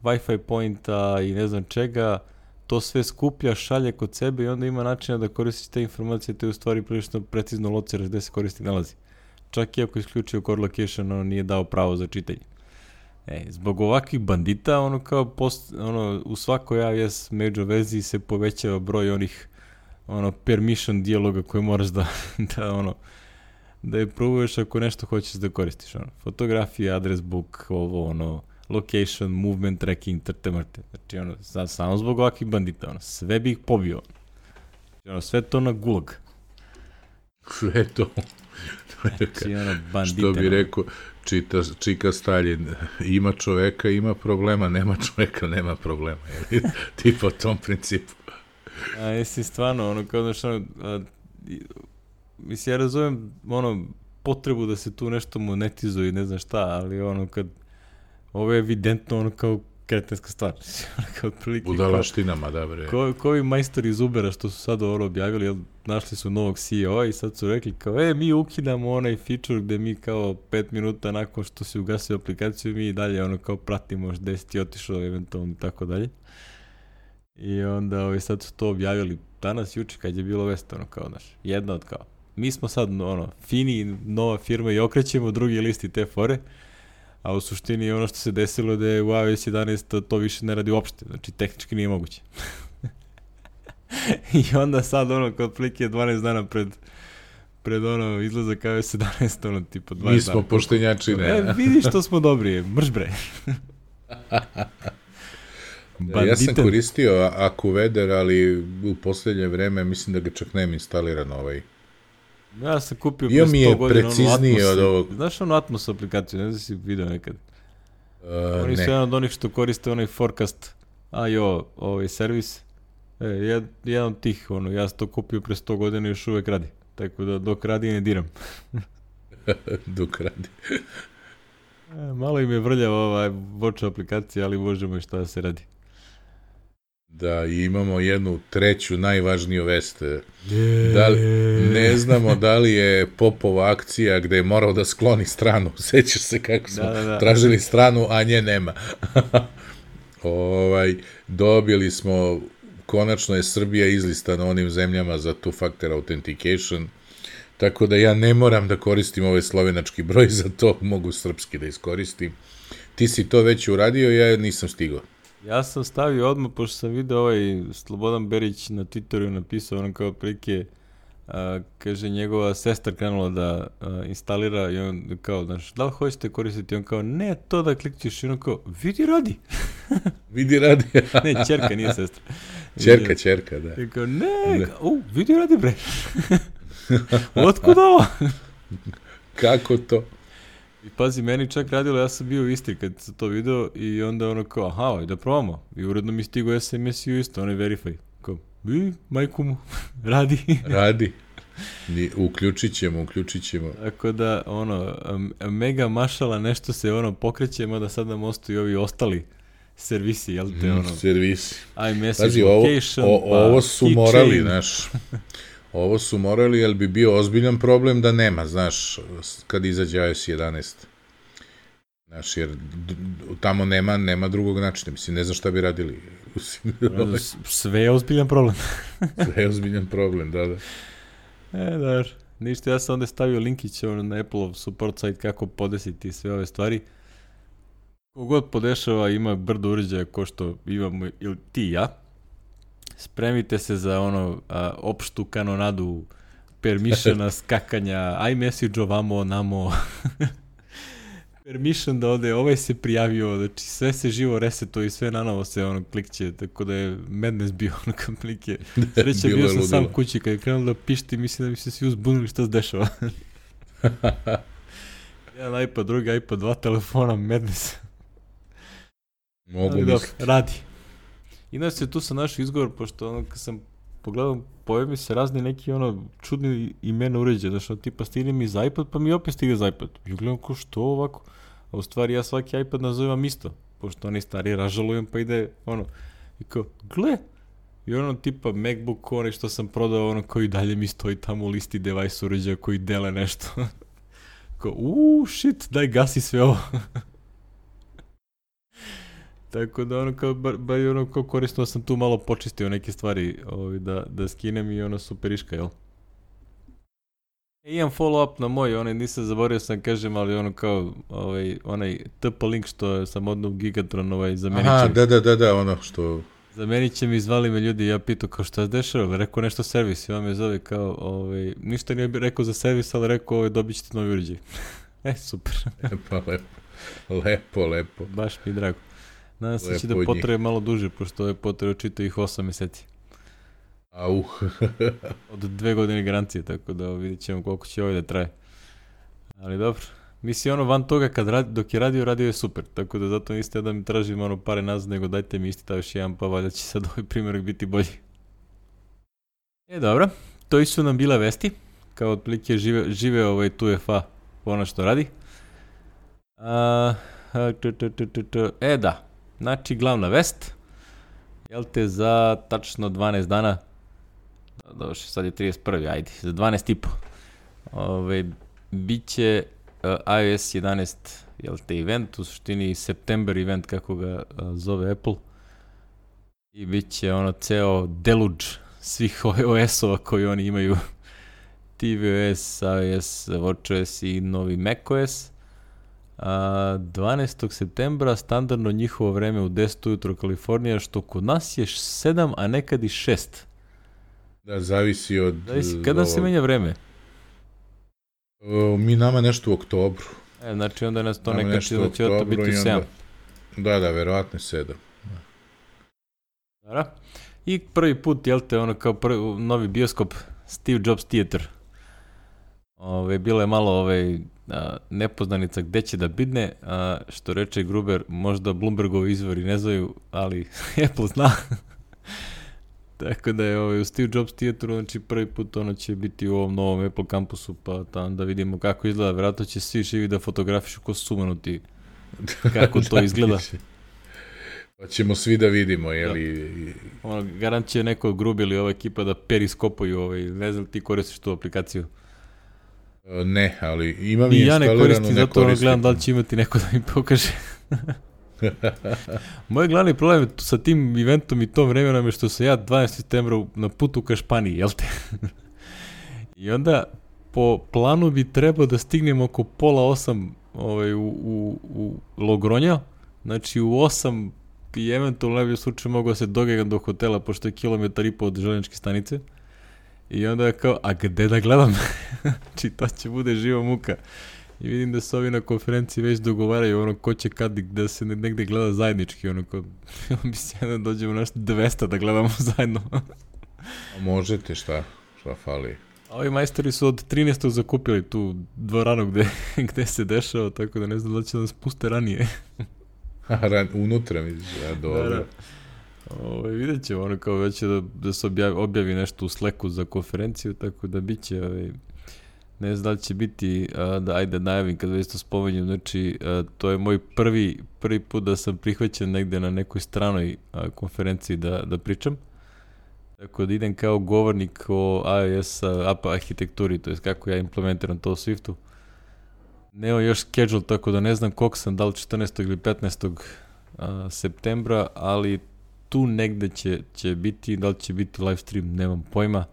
Speaker 2: Wi-Fi pointa i ne znam čega, to sve skuplja, šalje kod sebe i onda ima načina da koristiš te informacije, te u stvari prilično precizno lociraš gde se koristi nalazi. Čak i ako isključio core location, ono nije dao pravo za čitanje. E, zbog ovakvih bandita, ono kao post, ono, u svakoj A W S među vezi se povećava broj onih ono, permission dijaloga koje moraš da, da, ono, da je probuješ ako nešto hoćeš da koristiš. Ono. Fotografija, address book, ovo, ono, location, movement tracking, trte mrte. Znači, ono, samo zbog ovakvih bandita, ono, sve bi ih pobio. Ono, sve to na gulag.
Speaker 1: Sve to.
Speaker 2: Znači, ono, bandita.
Speaker 1: Što bi rekao, čita, čika Stalin, ima čoveka, ima problema, nema čoveka, nema problema. Ti po tom principu.
Speaker 2: A jesi stvarno, ono, kao da što, mislim, ja razumijem, ono, potrebu da se tu nešto monetizuje i ne znam šta, ali ono, kad, ovo je evidentno, ono, kao kretenska stvar. Kao prilike,
Speaker 1: budalaštinama, da bre.
Speaker 2: Ko, ko ovi majstori iz Ubera što su sad ovo objavili, jel, našli su novog C E O i sad su rekli kao, e, mi ukidamo onaj feature gde mi kao pet minuta nakon što se ugasio aplikaciju, mi dalje ono kao pratimo gde si ti otišao eventualno i tako dalje. I onda ovaj, sad su to objavili danas, juče, kad je bilo vest, ono kao, znaš, jedna od kao, mi smo sad, ono, fini, nova firma i okrećemo drugi listi te fore, a u suštini ono što se desilo da je u A W S jedanaest to više ne radi uopšte, znači tehnički nije moguće. I onda sad ono kod plike dvanaest dana pred pred ono izlazak A W S jedanaest, ono tipo dvadeset dana.
Speaker 1: Mi smo poštenjači, ne.
Speaker 2: E, vidi što smo dobri, mrš bre.
Speaker 1: Da, ja sam koristio AccuWeather, ali u posljednje vreme mislim da ga čak nemam instaliran ovaj.
Speaker 2: Ja sam kupio pre sto godina
Speaker 1: preciznije
Speaker 2: ono
Speaker 1: od ovog.
Speaker 2: Znaš ono Atmos aplikaciju, ne znam si vidio nekad.
Speaker 1: Uh,
Speaker 2: Oni su
Speaker 1: ne.
Speaker 2: jedan od onih što koriste onaj forecast I O ovaj servis. E, jed, jedan od tih, ono, ja sam to kupio pre sto godina i još uvek radi. Tako da dok radi ne diram.
Speaker 1: Dok radi.
Speaker 2: E, malo im je vrljava ova voča aplikacija, ali možemo i šta da se radi.
Speaker 1: Da, i imamo jednu treću najvažniju vest. Da li, ne znamo da li je Popova akcija gde je morao da skloni stranu. Sećaš se kako smo
Speaker 2: Da, da, da.
Speaker 1: tražili stranu, a nje nema. ovaj, dobili smo, konačno je Srbija izlistana onim zemljama za two-factor authentication, tako da ja ne moram da koristim ovaj slovenački broj, za to mogu srpski da iskoristim. Ti si to već uradio, ja nisam stigao.
Speaker 2: Ja sam stavio odmah, pošto sam vidio ovaj Slobodan Berić na Twitteru napisao, ono kao prilike, a, kaže, njegova sestra krenula da a, instalira i on kao, znaš, da li hoćete koristiti? On kao, ne, to da klikćeš i on kao, vidi radi.
Speaker 1: Vidi radi.
Speaker 2: Ne, ćerka, nije sestra.
Speaker 1: Ćerka, ćerka, da.
Speaker 2: I kao, ne, kao, u, vidi radi bre. Otkud ovo?
Speaker 1: Kako to?
Speaker 2: I pazi, meni čak radilo, ja sam bio u Istri kad sam to video i onda ono kao, aha, aj da probamo. I uredno mi stigo es em es i isto, onaj verify. Kao, i, majku mu, radi.
Speaker 1: Radi. Uključit ćemo, uključit ćemo.
Speaker 2: Tako da, ono, mega mašala, nešto se ono pokreće, mada sad nam ostaju ovi ostali servisi, jel te, ono?
Speaker 1: Servisi.
Speaker 2: iMessage
Speaker 1: Pazi,
Speaker 2: location,
Speaker 1: ovo, o,
Speaker 2: pa
Speaker 1: ovo su
Speaker 2: keychain.
Speaker 1: morali, znaš. Ovo su morali, jer bi bio ozbiljan problem da nema, znaš, kad izađe i o es jedanaest. Znaš, jer tamo nema, nema drugog načina. Mislim, ne znam šta bi radili.
Speaker 2: Sve je ozbiljan problem.
Speaker 1: Sve je ozbiljan problem, da, da.
Speaker 2: E, da, ništa, ja sam onda stavio linkić ono, na Apple support site kako podesiti sve ove stvari. Kogod podešava ima brdo uređaja ko što imamo ili ti i ja. Spremite se za ono a, opštu kanonadu permissiona, skakanja, iMessage ovamo, namo. Permission da ode, ovaj se prijavio, znači sve se živo resetuje i sve nanovo se ono klikće, tako da je madness bio ono komplike. Sreća bio sam sam kući, kad je krenuo da pišti, mislim da mi se svi uzbunili šta se dešava. Jedan iPad, drugi iPad, dva telefona, madness.
Speaker 1: Mogu
Speaker 2: Ali
Speaker 1: misliti.
Speaker 2: dobro, radi. Inače, tu sam našao izgovor, pošto ono, kad sam pogledao, pojave mi se razni neki ono čudni imena uređaja, znači ono, tipa stigne mi za iPad, pa mi opet stigne za iPad. I gledam ko što ovako, a u stvari ja svaki iPad nazivam isto, pošto oni stari ražalujem, pa ide ono, i kao, gle, i ono tipa MacBook, onaj što sam prodao, ono koji dalje mi stoji tamo u listi device uređaja koji dele nešto. Kao, uuu, shit, daj gasi sve ovo. Tako da ono kao, bar, bar ono kao korisno sam tu malo počistio neke stvari ovaj, da, da skinem i ono superiška, jel? E, imam follow up na moj, onaj nisam zaboravio sam kažem, ali ono kao ovaj, onaj T P link što sam odnov Gigatron ovaj, zamenit će.
Speaker 1: Aha, da, da, da, da, ono što...
Speaker 2: Zamenit će mi, zvali me ljudi, ja pitao kao šta se dešava, rekao nešto servis i on me zove kao, ovaj, ništa nije rekao za servis, ali rekao ovaj, dobit ćete novi uređaj. E, super.
Speaker 1: Pa lepo, lepo, lepo.
Speaker 2: Baš mi je drago. Nadam se će da
Speaker 1: od
Speaker 2: potraje malo duže, pošto je potraje čito ih osam meseci.
Speaker 1: Au.
Speaker 2: Od dve godine garancije, tako da vidjet ćemo koliko će ovaj da traje. Ali dobro. Mislim, ono van toga, kad radi, dok je radio, radio je super. Tako da zato niste da mi tražim ono pare nazad, nego dajte mi isti taj još jedan, pa valjda će sad ovaj primjerak biti bolji. E, dobro. To su nam bile vesti. Kao otprilike žive, žive ovaj tu F A ono što radi. A, a, t, t, t, t, t. E, da. Znači, glavna vest, jel te, za tačno dvanaest dana, dobro, sad je trideset prvi ajde, za dvanaest i po, ove, bit će uh, i O S jedanaest, jel te, event, u suštini september event, kako ga uh, zove Apple, i bit će ono ceo deluge svih O S-ova koji oni imaju, T V O S, iOS, WatchOS i novi macOS. A, dvanaestog septembra standardno njihovo vreme u deset ujutro Kalifornija, što kod nas je sedam, a nekad i šest.
Speaker 1: Da, zavisi od...
Speaker 2: Zavisi, kada se menja vreme?
Speaker 1: O, mi nama nešto u oktobru.
Speaker 2: E, znači onda nas to
Speaker 1: Nama
Speaker 2: nekad će da će to biti u sedam.
Speaker 1: Da, da, verovatno sedam.
Speaker 2: Da. I prvi put, jel te, ono kao prvi, novi bioskop Steve Jobs Theater. Ove, bilo je malo ovaj, a, nepoznanica gde će da bidne, a, što reče Gruber, možda Bloombergovi izvori ne znaju, ali Apple zna. Tako da je ovaj, u Steve Jobs Theateru, znači prvi put ono će biti u ovom novom Apple kampusu, pa tam da vidimo kako izgleda, vjerojatno će svi živi da fotografišu ko sumanuti kako to izgleda.
Speaker 1: Pa ćemo svi da vidimo, jeli...
Speaker 2: Da. Ono, garant će neko grubi ili ova ekipa da periskopuju, ovaj, ne znam ti koristiš tu aplikaciju.
Speaker 1: Ne, ali imam i instalirano,
Speaker 2: ja ne koristim,
Speaker 1: ne
Speaker 2: zato
Speaker 1: koristim.
Speaker 2: gledam da li će imati neko da mi pokaže. Moj glavni problem sa tim eventom i tom vremenom je što sam ja dvanaestog septembra na putu ka Španiji, jel te? I onda po planu bi trebao da stignem oko pola osam ovaj, u, u, u Logronja, znači u osam i eventualno najbolje slučaju mogu da se dogegam do hotela, pošto je kilometar i po od željezničke stanice. I onda je kao, a gde da gledam? Znači to će bude živa muka. I vidim da se ovi na konferenciji već dogovaraju ono ko će kad da se negde gleda zajednički, ono ko bi se jedna dođemo naš dvesta da gledamo zajedno.
Speaker 1: A možete, šta? Šta fali?
Speaker 2: A ovi majstori su od trinaestog zakupili tu dvoranu gde, gde se dešava, tako da ne znam da će nas puste ranije.
Speaker 1: Ran, unutra misliš, ja, dobro. Da, da.
Speaker 2: Ove, vidjet ćemo, ono kao već da, da se objavi, objavi nešto u Slacku za konferenciju, tako da bit će, ove, ne znam da li će biti, a, da ajde najavim kad već to spomenjem, znači a, to je moj prvi, prvi put da sam prihvaćen negde na nekoj stranoj a, konferenciji da, da pričam. Tako da idem kao govornik o iOS app arhitekturi, to je kako ja implementiram to u Swiftu. Neo još schedule, tako da ne znam koliko sam, da li četrnaestog ili petnaestog septembra, ali tu negde će, će biti, da li će biti live stream, nemam pojma.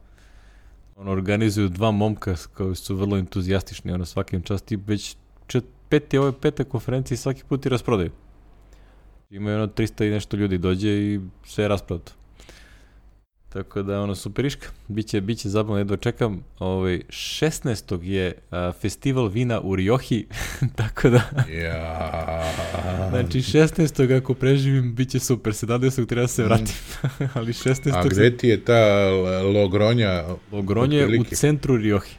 Speaker 2: Ono, organizuju dva momka koji su vrlo entuzijastični, ono, svakim časti, već čet, peti, ove pete konferencije svaki put i rasprodaju. Imaju ono trista i nešto ljudi dođe i sve je rasprodato. Tako da ono superiška, biće biće zabavno, jedva čekam. Ovaj šesnaestog je a, festival vina u Rioji, tako da.
Speaker 1: Ja.
Speaker 2: Znači šesnaestog ako preživim biće super, sedamnaestog treba da se vratim. Ali šesnaestog
Speaker 1: A gde ti je ta Logronja?
Speaker 2: Logronja je u centru Rioji.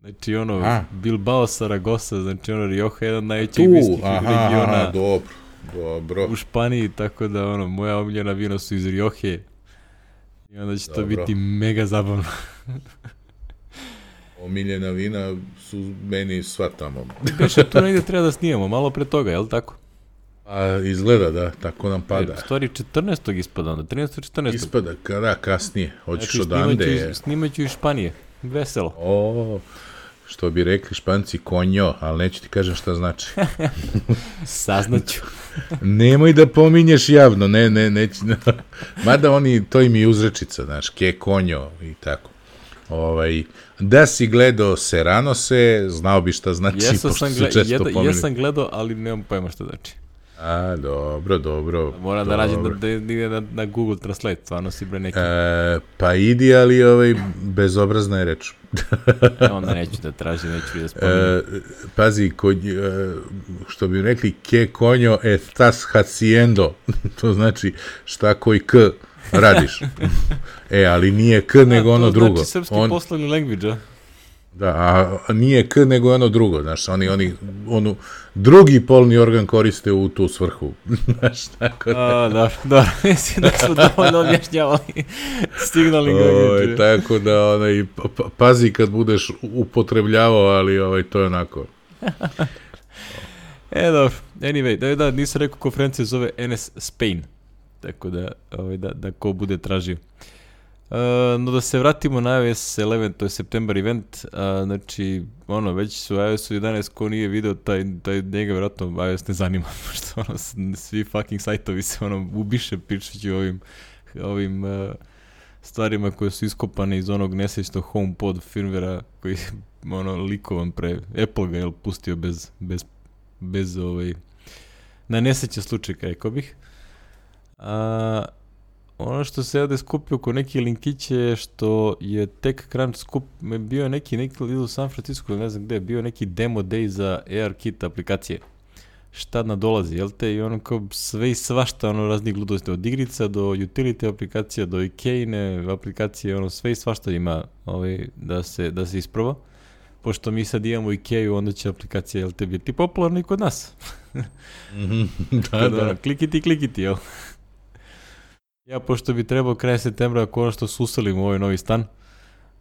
Speaker 2: Znači ono A. Bilbao, Saragossa, znači ono Rioja je jedan najvećih vinskih regiona.
Speaker 1: Aha, dobro, dobro.
Speaker 2: U Španiji, tako da ono moja omiljena vina su iz Rioje. I onda će Dobro. to biti mega zabavno.
Speaker 1: Omiljena vina su meni sva tamo.
Speaker 2: Beše, tu negdje treba da snijemo, malo pre toga, je li tako?
Speaker 1: A izgleda, da, tako nam pada.
Speaker 2: E, stvari četrnaestog ispada onda, trinaestog četrnaestog
Speaker 1: Ispada, kada, kasnije, hoćeš
Speaker 2: znači,
Speaker 1: odande.
Speaker 2: Znači, snimat ću iz Španije, veselo.
Speaker 1: O, što bi rekli Španci, konjo, ali neću ti kažem šta znači.
Speaker 2: Saznaću.
Speaker 1: Nemoj da pominješ javno, ne, ne, neću. Mada oni, to im je uzrečica, znaš, ke konjo i tako. Ovaj, da si gledao Serranose, znao bi šta znači,
Speaker 2: jesu
Speaker 1: pošto
Speaker 2: sam
Speaker 1: su često
Speaker 2: jeda,
Speaker 1: pominjali.
Speaker 2: Jesam gledao, ali nemam pojma šta znači.
Speaker 1: A, dobro, dobro.
Speaker 2: Moram da nađem da, da ide na, na Google Translate, stvarno si bre neki.
Speaker 1: E, pa idi, ali ovaj, bezobrazna je reč.
Speaker 2: E, onda neću da tražim, neću da spominjem.
Speaker 1: E, pazi, kod, e, što bi rekli, ke konjo estás haciendo, to znači šta koji k radiš. E, ali nije k, a, nego ono drugo.
Speaker 2: To znači srpski On... poslovni language, a?
Speaker 1: Da, a nije k, nego ono drugo, znaš, oni, oni, onu, drugi polni organ koriste u tu svrhu, znaš, tako da.
Speaker 2: A, da, da, mislim da su dovoljno objašnjavali signaling language.
Speaker 1: Tako da, onaj, pa, pazi kad budeš upotrebljavao, ali ovaj, to je onako.
Speaker 2: E, dobro, anyway, da, da, nisam rekao, konferencija zove N S Spain, tako da, ovaj, da, da ko bude tražio. Uh, no da se vratimo na iOS eleven, to je September event, uh, znači, ono, već su iOS jedanaest, ko nije video, taj, taj njega vjerojatno iOS ne zanima, pošto ono, svi fucking sajtovi se ono ubiše pričajući ovim, ovim uh, stvarima koje su iskopane iz onog nesrećnog HomePod firmwarea koji ono likovan pre, Apple ga je pustio bez, bez, bez ovaj, na nesreće slučaj, rekao bih. A uh, ono što se ovdje skupio oko neki linkiće je što je TechCrunch skup, bio neki, neki u San Francisco, ne znam gde, bio neki demo day za ARKit aplikacije. Šta nadolazi, jel te? I ono kao sve i svašta, ono raznih gludosti, od igrica do utility aplikacija, do Ikejne aplikacije, ono sve i svašta ima ovaj, da, se, da se isproba. Pošto mi sad imamo Ikeju, onda će aplikacija, jel te, biti popularna i kod nas.
Speaker 1: Mm-hmm. da, da.
Speaker 2: Ono, klikiti, klikiti, jel? Ja, pošto bi trebao kraj septembra konačno suselim u ovaj novi stan,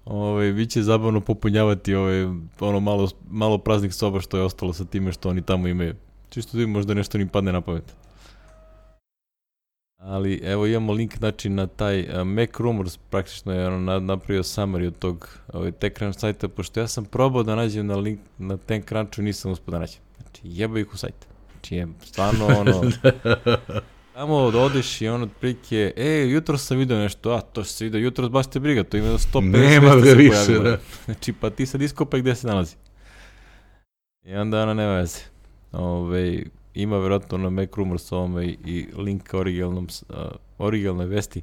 Speaker 2: ovaj, bit će zabavno popunjavati ovaj, ono malo, malo praznih soba što je ostalo sa time što oni tamo imaju. Čisto da možda nešto ni padne na pamet. Ali evo imamo link znači na taj uh, Mac Rumors, praktično je ono napravio summary od tog ovaj, TechCrunch sajta, pošto ja sam probao da nađem na link na TechCrunchu i nisam uspio da nađem. Znači jeba ih u sajt. Znači je stvarno ono... Tamo odeš i on otprilike, e, jutro sam vidio nešto, a to što se vidio jutro, baš te briga, to ima sto pedeset
Speaker 1: Nema ga
Speaker 2: se
Speaker 1: više,
Speaker 2: pojavilo.
Speaker 1: da.
Speaker 2: Znači, pa ti sad iskopaj gde se nalazi. I onda ona nema veze. Ove, ima vjerojatno na Mac Rumors ovome i link ka originalnom, uh, originalnoj vesti.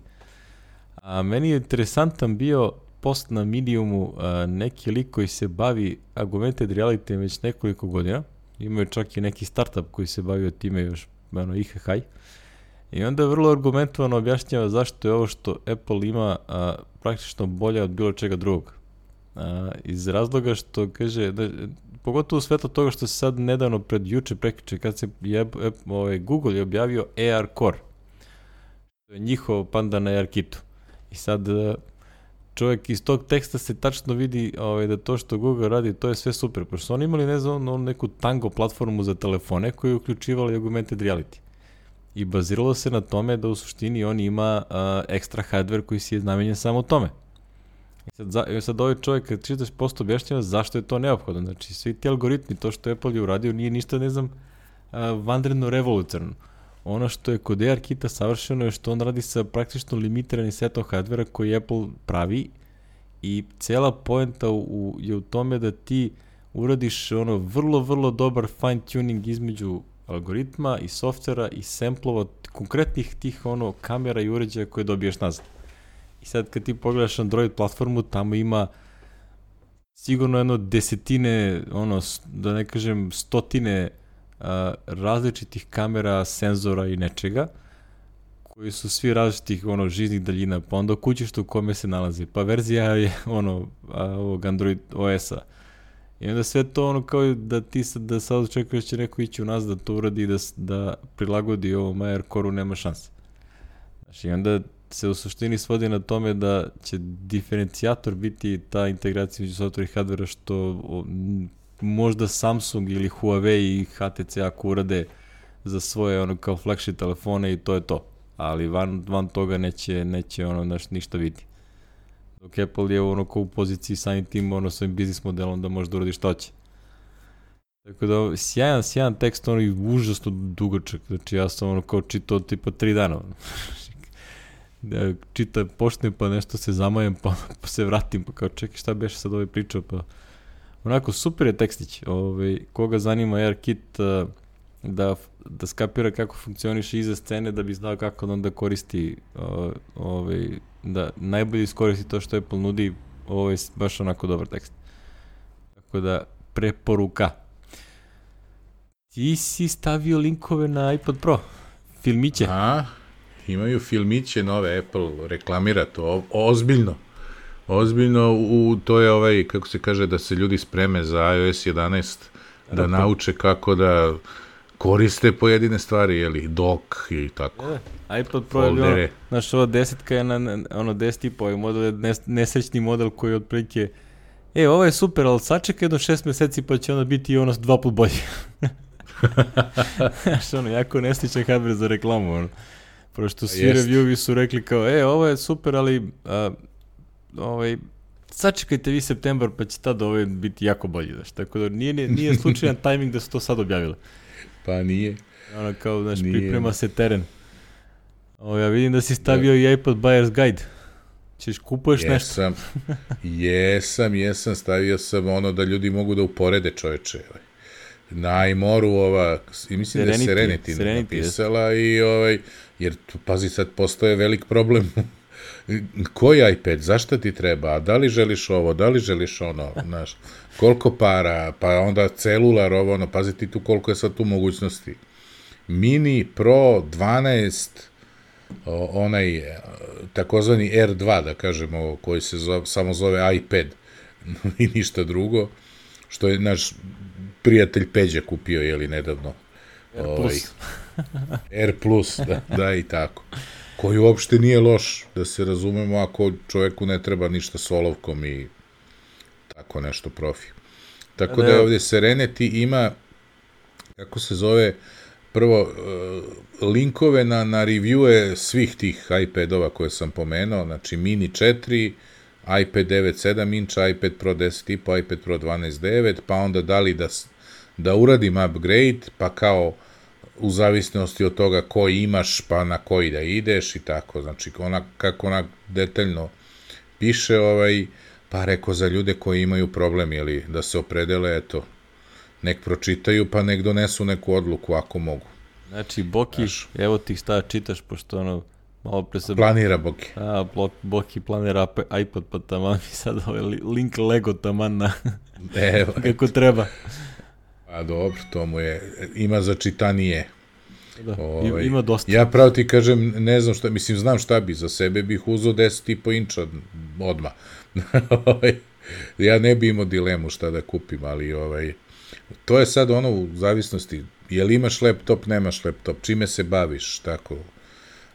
Speaker 2: A meni je interesantan bio post na Mediumu, uh, neki lik koji se bavi augmented reality već nekoliko godina. Imaju čak i neki startup koji se bavio time još, ono, I H H. I onda je vrlo argumentovano objašnjava zašto je ovo što Apple ima a, praktično bolje od bilo čega drugog. A, iz razloga što kaže, da, pogotovo u svetlu toga što se sad nedavno pred juče prekriče kad se je, je, ovaj, Google je objavio A R Core. To je njihov pandan na ARKitu. I sad čovjek iz tog teksta se tačno vidi ovaj, da to što Google radi, to je sve super. Pošto su oni imali ne znam, neku Tango platformu za telefone koju je uključivala augmented reality. I baziralo se na tome da u suštini on ima uh, ekstra hardware koji si je namenjen samo tome. I sad, za, i sad ovaj čovjek kad čitaš posto objašnjava zašto je to neophodno. Znači svi ti algoritmi, to što Apple je uradio nije ništa, ne znam, uh, vanredno revolucionarno. Ono što je kod ARKita savršeno je što on radi sa praktično limitiranim setom hardvera koji Apple pravi i cela poenta u, je u tome da ti uradiš ono vrlo, vrlo dobar fine tuning između algoritma i softvera i samplova konkretnih tih ono kamera i uređaja koje dobiješ nazad. I sad kad ti pogledaš Android platformu, tamo ima sigurno jedno desetine, ono, da ne kažem stotine a, različitih kamera, senzora i nečega, koji su svi različitih ono žiznih daljina, pa onda kućište u kome se nalazi, pa verzija je ono a, ovog Android O S-a. I onda sve to ono kao da ti sad, da sad očekuješ će neko ići u nas da to uradi i da, da prilagodi ovom A R Core-u, nema šanse. Znači, i onda se u suštini svodi na tome da će diferencijator biti ta integracija među softvera i hardvera što o, možda Samsung ili Huawei i H T C ako urade za svoje ono kao flagship telefone i to je to. Ali van, van toga neće, neće ono naš, ništa biti. Dok Apple je ono kao u poziciji samim tim ono svojim biznis modelom da može da uradi što će. Tako da sjajan, sjajan tekst, ono i užasno dugačak. Znači ja sam ono kao čitao tipa tri dana. Ono. Da, čita, počnem pa nešto se zamajem pa, pa se vratim pa kao čekaj šta beše sad ovaj pričao pa onako super je tekstić. Ove, koga zanima ARKit uh, da, da skapira kako funkcioniše iza scene da bi znao kako da onda koristi uh, ove, da najbolje iskoristi to što Apple nudi, ovo je baš onako dobar tekst. Tako da, preporuka. Ti si stavio linkove na iPad Pro, filmiće.
Speaker 1: A, imaju filmiće nove, Apple reklamira to, o, ozbiljno. Ozbiljno, u, to je ovaj, kako se kaže, da se ljudi spreme za i O S jedanaest, da Rapa. nauče kako da koriste pojedine stvari, jeli, dock i tako.
Speaker 2: E, iPad Pro je bilo, znaš, ova desetka je na, na ono deset i po, ovaj model je nes, nesrećni model koji je otprilike, e, ovo je super, ali sačekaj jedno šest meseci pa će onda biti ono dva put bolje. Znaš, ono, jako nesrećan hardware za reklamu, ono. Prošto svi Jest. reviewi su rekli kao, e, ovo je super, ali, a, ovaj, sačekajte vi septembar pa će tada ovo biti jako bolje, znaš, tako da nije, nije slučajan tajming da su to sad objavile.
Speaker 1: Pa nije.
Speaker 2: Ono kao, znaš, nije. Priprema se teren. O, ja vidim da si stavio da. i iPad Buyer's Guide. Ćeš kupuješ
Speaker 1: jesam, nešto? jesam, jesam, stavio sam ono da ljudi mogu da uporede čoveče. Na iMoru ova, i mislim Serenity, da je Serenity, Serenity napisala jest. I ovaj, jer pazi sad postoje velik problem. Koji iPad, zašto ti treba, a da li želiš ovo, da li želiš ono, znaš, koliko para, pa onda celular, ovo, ono, pazi ti tu koliko je sad tu mogućnosti. Mini, Pro, dvanaest, onaj, takozvani R dva, da kažemo, koji se zove, samo zove iPad i ništa drugo, što je naš prijatelj Peđa kupio, jeli, nedavno.
Speaker 2: R plus.
Speaker 1: Ovaj, R plus, da, da, i tako. Koji uopšte nije loš, da se razumemo, ako čovjeku ne treba ništa s olovkom i tako nešto profi. Tako da, da je ovdje Serenity ima, kako se zove, prvo, uh, linkove na, na reviewe svih tih iPadova koje sam pomenuo, znači Mini četiri, iPad devet sedam inča, iPad Pro deset i po, iPad Pro dvanaest devet, pa onda da li da, da uradim upgrade, pa kao u zavisnosti od toga koji imaš, pa na koji da ideš i tako, znači ona, kako ona detaljno piše, ovaj, pa rekao za ljude koji imaju problem, jeli, da se opredele, eto, nek pročitaju, pa nek donesu neku odluku ako mogu.
Speaker 2: Znači, Boki, Znaš, evo ti šta čitaš, pošto ono, malo pre se...
Speaker 1: Planira Boki.
Speaker 2: A, Boki planira iPad, pa taman mi sad ovaj link Lego taman na...
Speaker 1: Evo.
Speaker 2: Kako treba.
Speaker 1: A dobro, to mu je, ima za čitanije.
Speaker 2: Da, ovaj, ima dosta.
Speaker 1: Ja pravo ti kažem, ne znam šta, mislim, znam šta bi, za sebe bih uzeo deset i po inča odmah. Ja ne bi imao dilemu šta da kupim, ali ovaj, to je sad ono u zavisnosti, je li imaš laptop, nemaš laptop, čime se baviš, tako,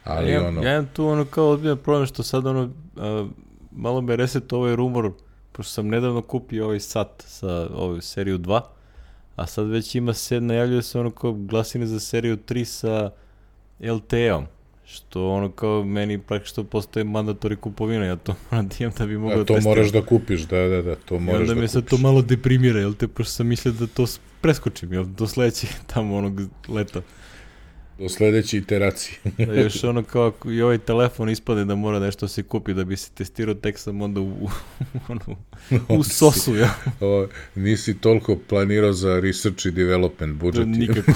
Speaker 1: ali
Speaker 2: ja,
Speaker 1: ono...
Speaker 2: Ja imam tu ono kao odbijan problem što sad ono, a, malo me reset ovaj rumor, pošto sam nedavno kupio ovaj sat sa ovaj seriju dva, a sad već ima se, najavljuje se ono kao glasine za seriju tri sa L T E-om, što ono kao meni praktično postaje mandatori kupovina, ja to moram da imam da bi mogao da testiram.
Speaker 1: To moraš da kupiš, da, da, da, to moraš da kupiš. I onda
Speaker 2: me sad to malo deprimira, jel te, pošto sam mislio da to preskočim, jel, do sledećeg tamo onog leta.
Speaker 1: Do sledeće iteracije.
Speaker 2: Da još ono kao i ovaj telefon ispade da mora nešto se kupi da bi se testirao, tek sam onda u, u, u, u sosu, ja.
Speaker 1: O, nisi toliko planirao za research i development budžet.
Speaker 2: Nikako.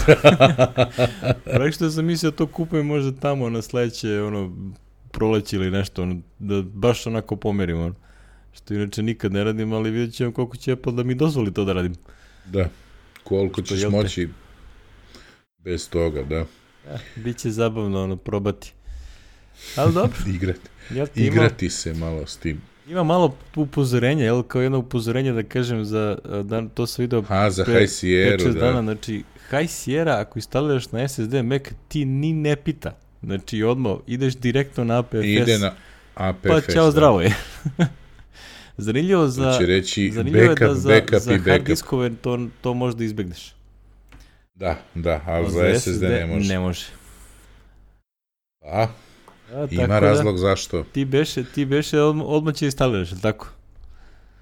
Speaker 2: Prek što sam mislio to kupujem možda tamo na sledeće ono, proleće ili nešto, ono, da baš onako pomerim, ono. Što inače nikad ne radim, ali vidjet ćemo koliko će Apple da mi dozvoli to da radim.
Speaker 1: Da, koliko ćeš moći bez toga, da.
Speaker 2: Ja, biće zabavno ono probati. Ali dobro.
Speaker 1: Igrati.
Speaker 2: Ja
Speaker 1: Igrati ima, se malo s tim.
Speaker 2: Ima malo upozorenja, jel, kao jedno upozorenje da kažem za dan, to sam video
Speaker 1: ha, za High Sierra, da.
Speaker 2: Dana, znači High Sierra ako instaliraš na S S D Mac ti ni ne pita. Znači odmah ideš direktno na A P F S.
Speaker 1: Ide na A P F S.
Speaker 2: Pa čao, zdravo je. Zanimljivo za
Speaker 1: to će reći
Speaker 2: zanimljivo
Speaker 1: backup,
Speaker 2: je da za,
Speaker 1: backup
Speaker 2: za
Speaker 1: i
Speaker 2: hard
Speaker 1: backup.
Speaker 2: diskove to, to možda izbegneš.
Speaker 1: Da, da, ali za, za S S D ne može.
Speaker 2: Ne može.
Speaker 1: A, A ima razlog da, zašto.
Speaker 2: Ti beše, ti beše odmah, odmah će instaliraš, ili tako?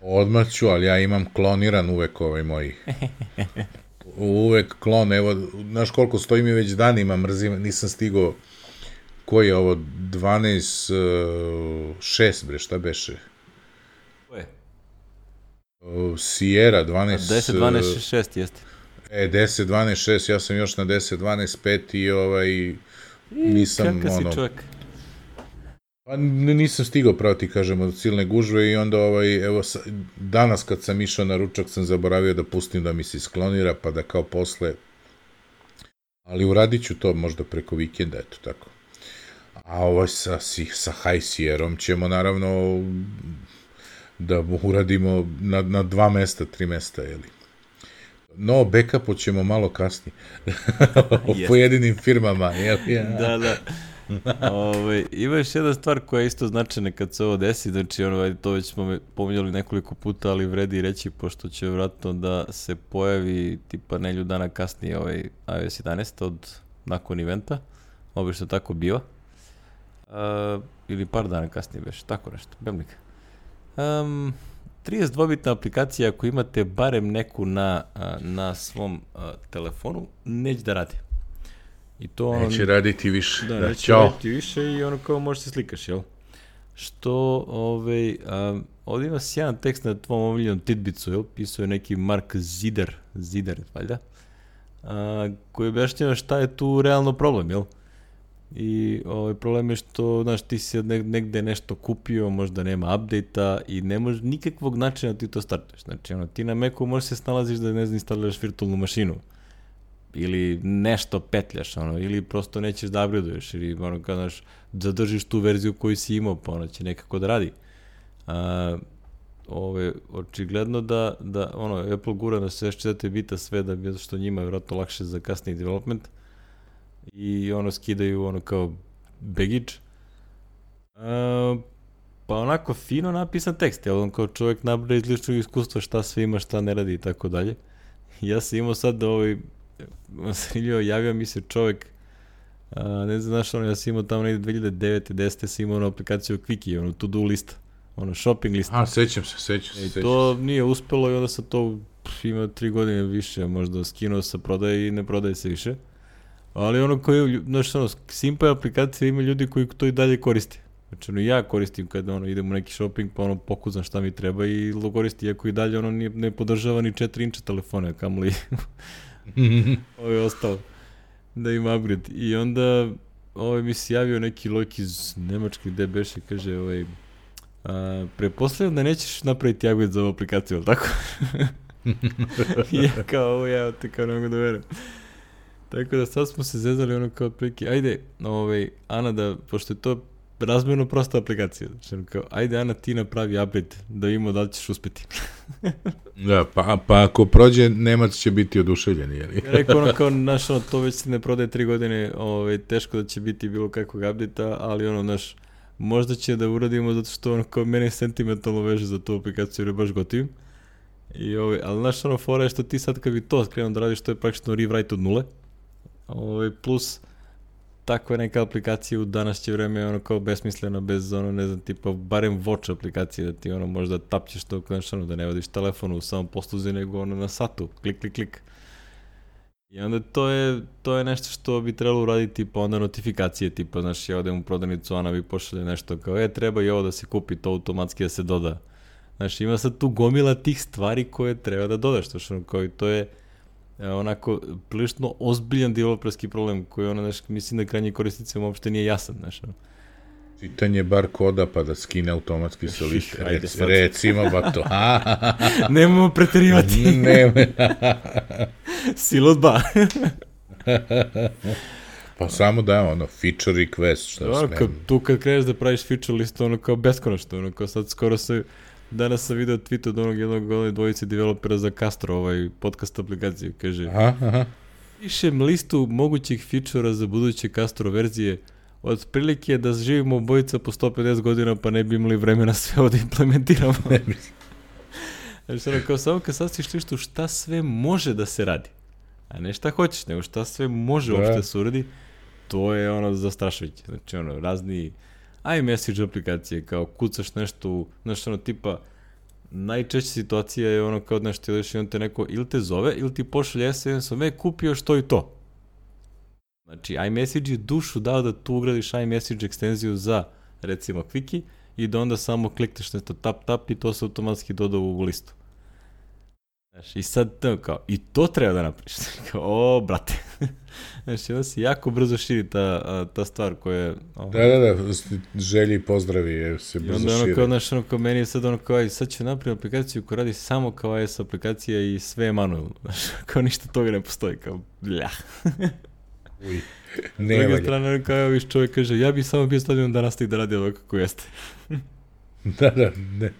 Speaker 1: Odmah ću, ali ja imam kloniran uvek ovaj moj. Uvek klon, evo, znaš koliko stoji mi već danima, mrzim, nisam stigao, koji je ovo, dvanaest šest, bre, šta beše?
Speaker 2: Ko je?
Speaker 1: Sierra, dvanaest...
Speaker 2: deset dvanaest šest, jeste.
Speaker 1: E, deset dvanaest šest, ja sam još na deset dvanaest pet i ovaj, nisam,
Speaker 2: Kaka
Speaker 1: ono...
Speaker 2: si čovjek?
Speaker 1: Pa nisam stigao, pravo ti kažem, od silne gužve i onda, ovaj, evo, danas kad sam išao na ručak sam zaboravio da pustim da mi se sklonira, pa da kao posle... Ali uradit ću to možda preko vikenda, eto tako. A ovo sa, sa High Sierrom ćemo naravno da uradimo na, na dva mesta, tri mesta, jeli. No, backupu ćemo malo kasnije. O pojedinim firmama, jel? Ja.
Speaker 2: Da, da. Ove, ima još jedna stvar koja je isto značajna kad se ovo desi, znači ono, to već smo pominjali nekoliko puta, ali vredi reći, pošto će vratno da se pojavi tipa nelju dana kasnije ovaj i O S jedanaest od nakon eventa, obično tako biva. Uh, ili par dana kasnije već, tako nešto, bemlik. Um, trideset dva bitna aplikacija, ako imate barem neku na, na svom uh, telefonu, neće da radi. I to ono,
Speaker 1: neće raditi više.
Speaker 2: Da, da neće Ćao. raditi više i ono kao možeš se slikaš, jel? Što, ovaj, um, ovdje ima sjajan tekst na tvom omiljenom Tidbicu, jel? Pisao je neki Mark Zider, Zider, valjda, uh, koji objašnjava šta je tu realno problem, jel? I ovaj problem je što, znaš, ti si negde nešto kupio, možda nema update-a i ne može nikakvog načina da ti to startuješ. Znači, ono, ti na Macu možeš se snalaziš da ne znam, instaliraš virtualnu mašinu ili nešto petljaš, ono, ili prosto nećeš da upgradeuješ ili, ono, kao, znaš, zadržiš tu verziju koju si imao, pa ona će nekako da radi. A, ove, očigledno da, da, ono, Apple gura na šezdeset četiri bita sve da bi, zato što njima je vjerojatno lakše za kasniji development, i ono skidaju ono kao baggage. Uh, pa onako fino napisan tekst, jel on kao čovjek nabraja iz ličnog iskustva šta sve ima, šta ne radi i tako dalje. Ja sam imao sad ovaj Vasilio, javio mi se čovjek, a, ne znam, znaš, ono, ja sam imao tamo negdje dve hiljade devete desete sam imao onu aplikaciju Quickie, ono, to-do lista, ono, shopping lista.
Speaker 1: A, sećam se, sećam se.
Speaker 2: I
Speaker 1: sećam
Speaker 2: to
Speaker 1: se.
Speaker 2: nije uspelo i onda sam to pff, ima tri godine više, možda skinuo sa prodaje i ne prodaje se više. Ali ono koji, znaš, ono, Simpa je aplikacija, ima ljudi koji to i dalje koriste. Znači, ono, ja koristim kada ono, idem u neki shopping, pa ono, pokuznam šta mi treba i koristi, iako i dalje ono nije, ne podržava ni četiri inča telefone, kamoli ovo je ostalo da ima upgrade. I onda ovaj mi se javio neki lojk iz Nemačke gde beše, kaže, ovaj, a, preposledam da nećeš napraviti upgrade za ovu aplikaciju, ali tako? I ja kao, ovo ja te kao ne mogu da verujem. Tako da sad smo se zezali ono kao prilike, ajde, ovaj, Ana, da, pošto je to razmjerno prosta aplikacija, znači kao, ajde Ana, ti napravi upgrade, da vidimo da li ćeš uspeti.
Speaker 1: Da, pa, pa ako prođe, Nemac će biti oduševljen, jel?
Speaker 2: Ja rekao ono kao, znaš, ono, to već se ne prodaje tri godine, ovaj, teško da će biti bilo kakvog update-a, ali ono, znaš, možda će da uradimo zato što ono kao mene sentimentalno veže za tu aplikaciju jer je baš gotivim. I ovaj, ali znaš, ono, fora je što ti sad kad bi to krenuo da radiš, to je praktično rewrite od nule. Ovaj, plus takva neka aplikacija u današnje vreme je ono kao besmislena, bez ono, ne znam, tipa barem watch aplikacije da ti ono možda tapćeš to, znaš, ono, da ne vodiš telefon u samom posluzi, nego ono na satu, klik, klik, klik. I onda to je, to je nešto što bi trebalo uraditi, pa onda notifikacije, tipa, znaš, ja odem u prodavnicu, ona bi pošalje nešto kao, e, treba i ovo da se kupi, to automatski da se doda. Znaš, ima sad tu gomila tih stvari koje treba da dodaš, što što kao i to je e, onako prilično ozbiljan developerski problem koji ona, znaš, mislim da krajnji korisnicima uopšte nije jasan, znaš.
Speaker 1: Čitanje bar koda pa da skine automatski sa liste.
Speaker 2: Ajde,
Speaker 1: Rec,
Speaker 2: sad.
Speaker 1: recimo, ba to.
Speaker 2: Nemamo preterivati.
Speaker 1: Ne.
Speaker 2: Silo dva.
Speaker 1: Pa samo da, ono, feature request, šta
Speaker 2: Ono,
Speaker 1: smem.
Speaker 2: kad, tu kad kreneš da praviš feature listu, ono kao beskonačno, ono kao sad skoro se, danas sam video tweet od onog jednog one dvojice developera za Castro, ovaj podcast aplikaciju, kaže,
Speaker 1: Aha, aha.
Speaker 2: pišem listu mogućih feature-a za buduće Castro verzije, od prilike da živimo obojica po sto pedeset godina pa ne bi imali vremena sve ovo da implementiramo. Znači, ono, kao samo kad sastiš listu šta sve može da se radi, a ne šta hoćeš, nego šta sve može
Speaker 1: Da.
Speaker 2: uopšte se uradi, to je ono zastrašujuće. Znači, ono, razni iMessage aplikacije, kao kucaš nešto, u- znaš, ono, tipa, najčešća situacija je ono kao nešto ideš i on te neko ili te zove ili ti pošalje es em es-om, e, kupio što i to. Znači, iMessage je dušu dao da tu ugradiš iMessage ekstenziju za, recimo, Quickie i da onda samo klikneš nešto tap tap i to se automatski doda u listu. Znaš, i sad to kao, i to treba da napraviš. Kao, o, brate. Znači, onda se jako brzo širi ta, a, ta stvar koja je... ono,
Speaker 1: Da, da, da, želji i pozdravi jer se
Speaker 2: I
Speaker 1: brzo
Speaker 2: onda ono
Speaker 1: šire.
Speaker 2: kao, znaš, ono kao meni je sad ono kao, aj, sad ću napraviti aplikaciju koja radi samo kao iOS aplikacija i sve je manualno. Znaš, kao ništa toga ne postoji, kao, bljah.
Speaker 1: Uj,
Speaker 2: S
Speaker 1: ne
Speaker 2: druge
Speaker 1: valja.
Speaker 2: strane, ono kao, viš čovjek kaže, ja bi samo bio stavljen da nastavi da radi ovako kako jeste.
Speaker 1: Da, da, ne,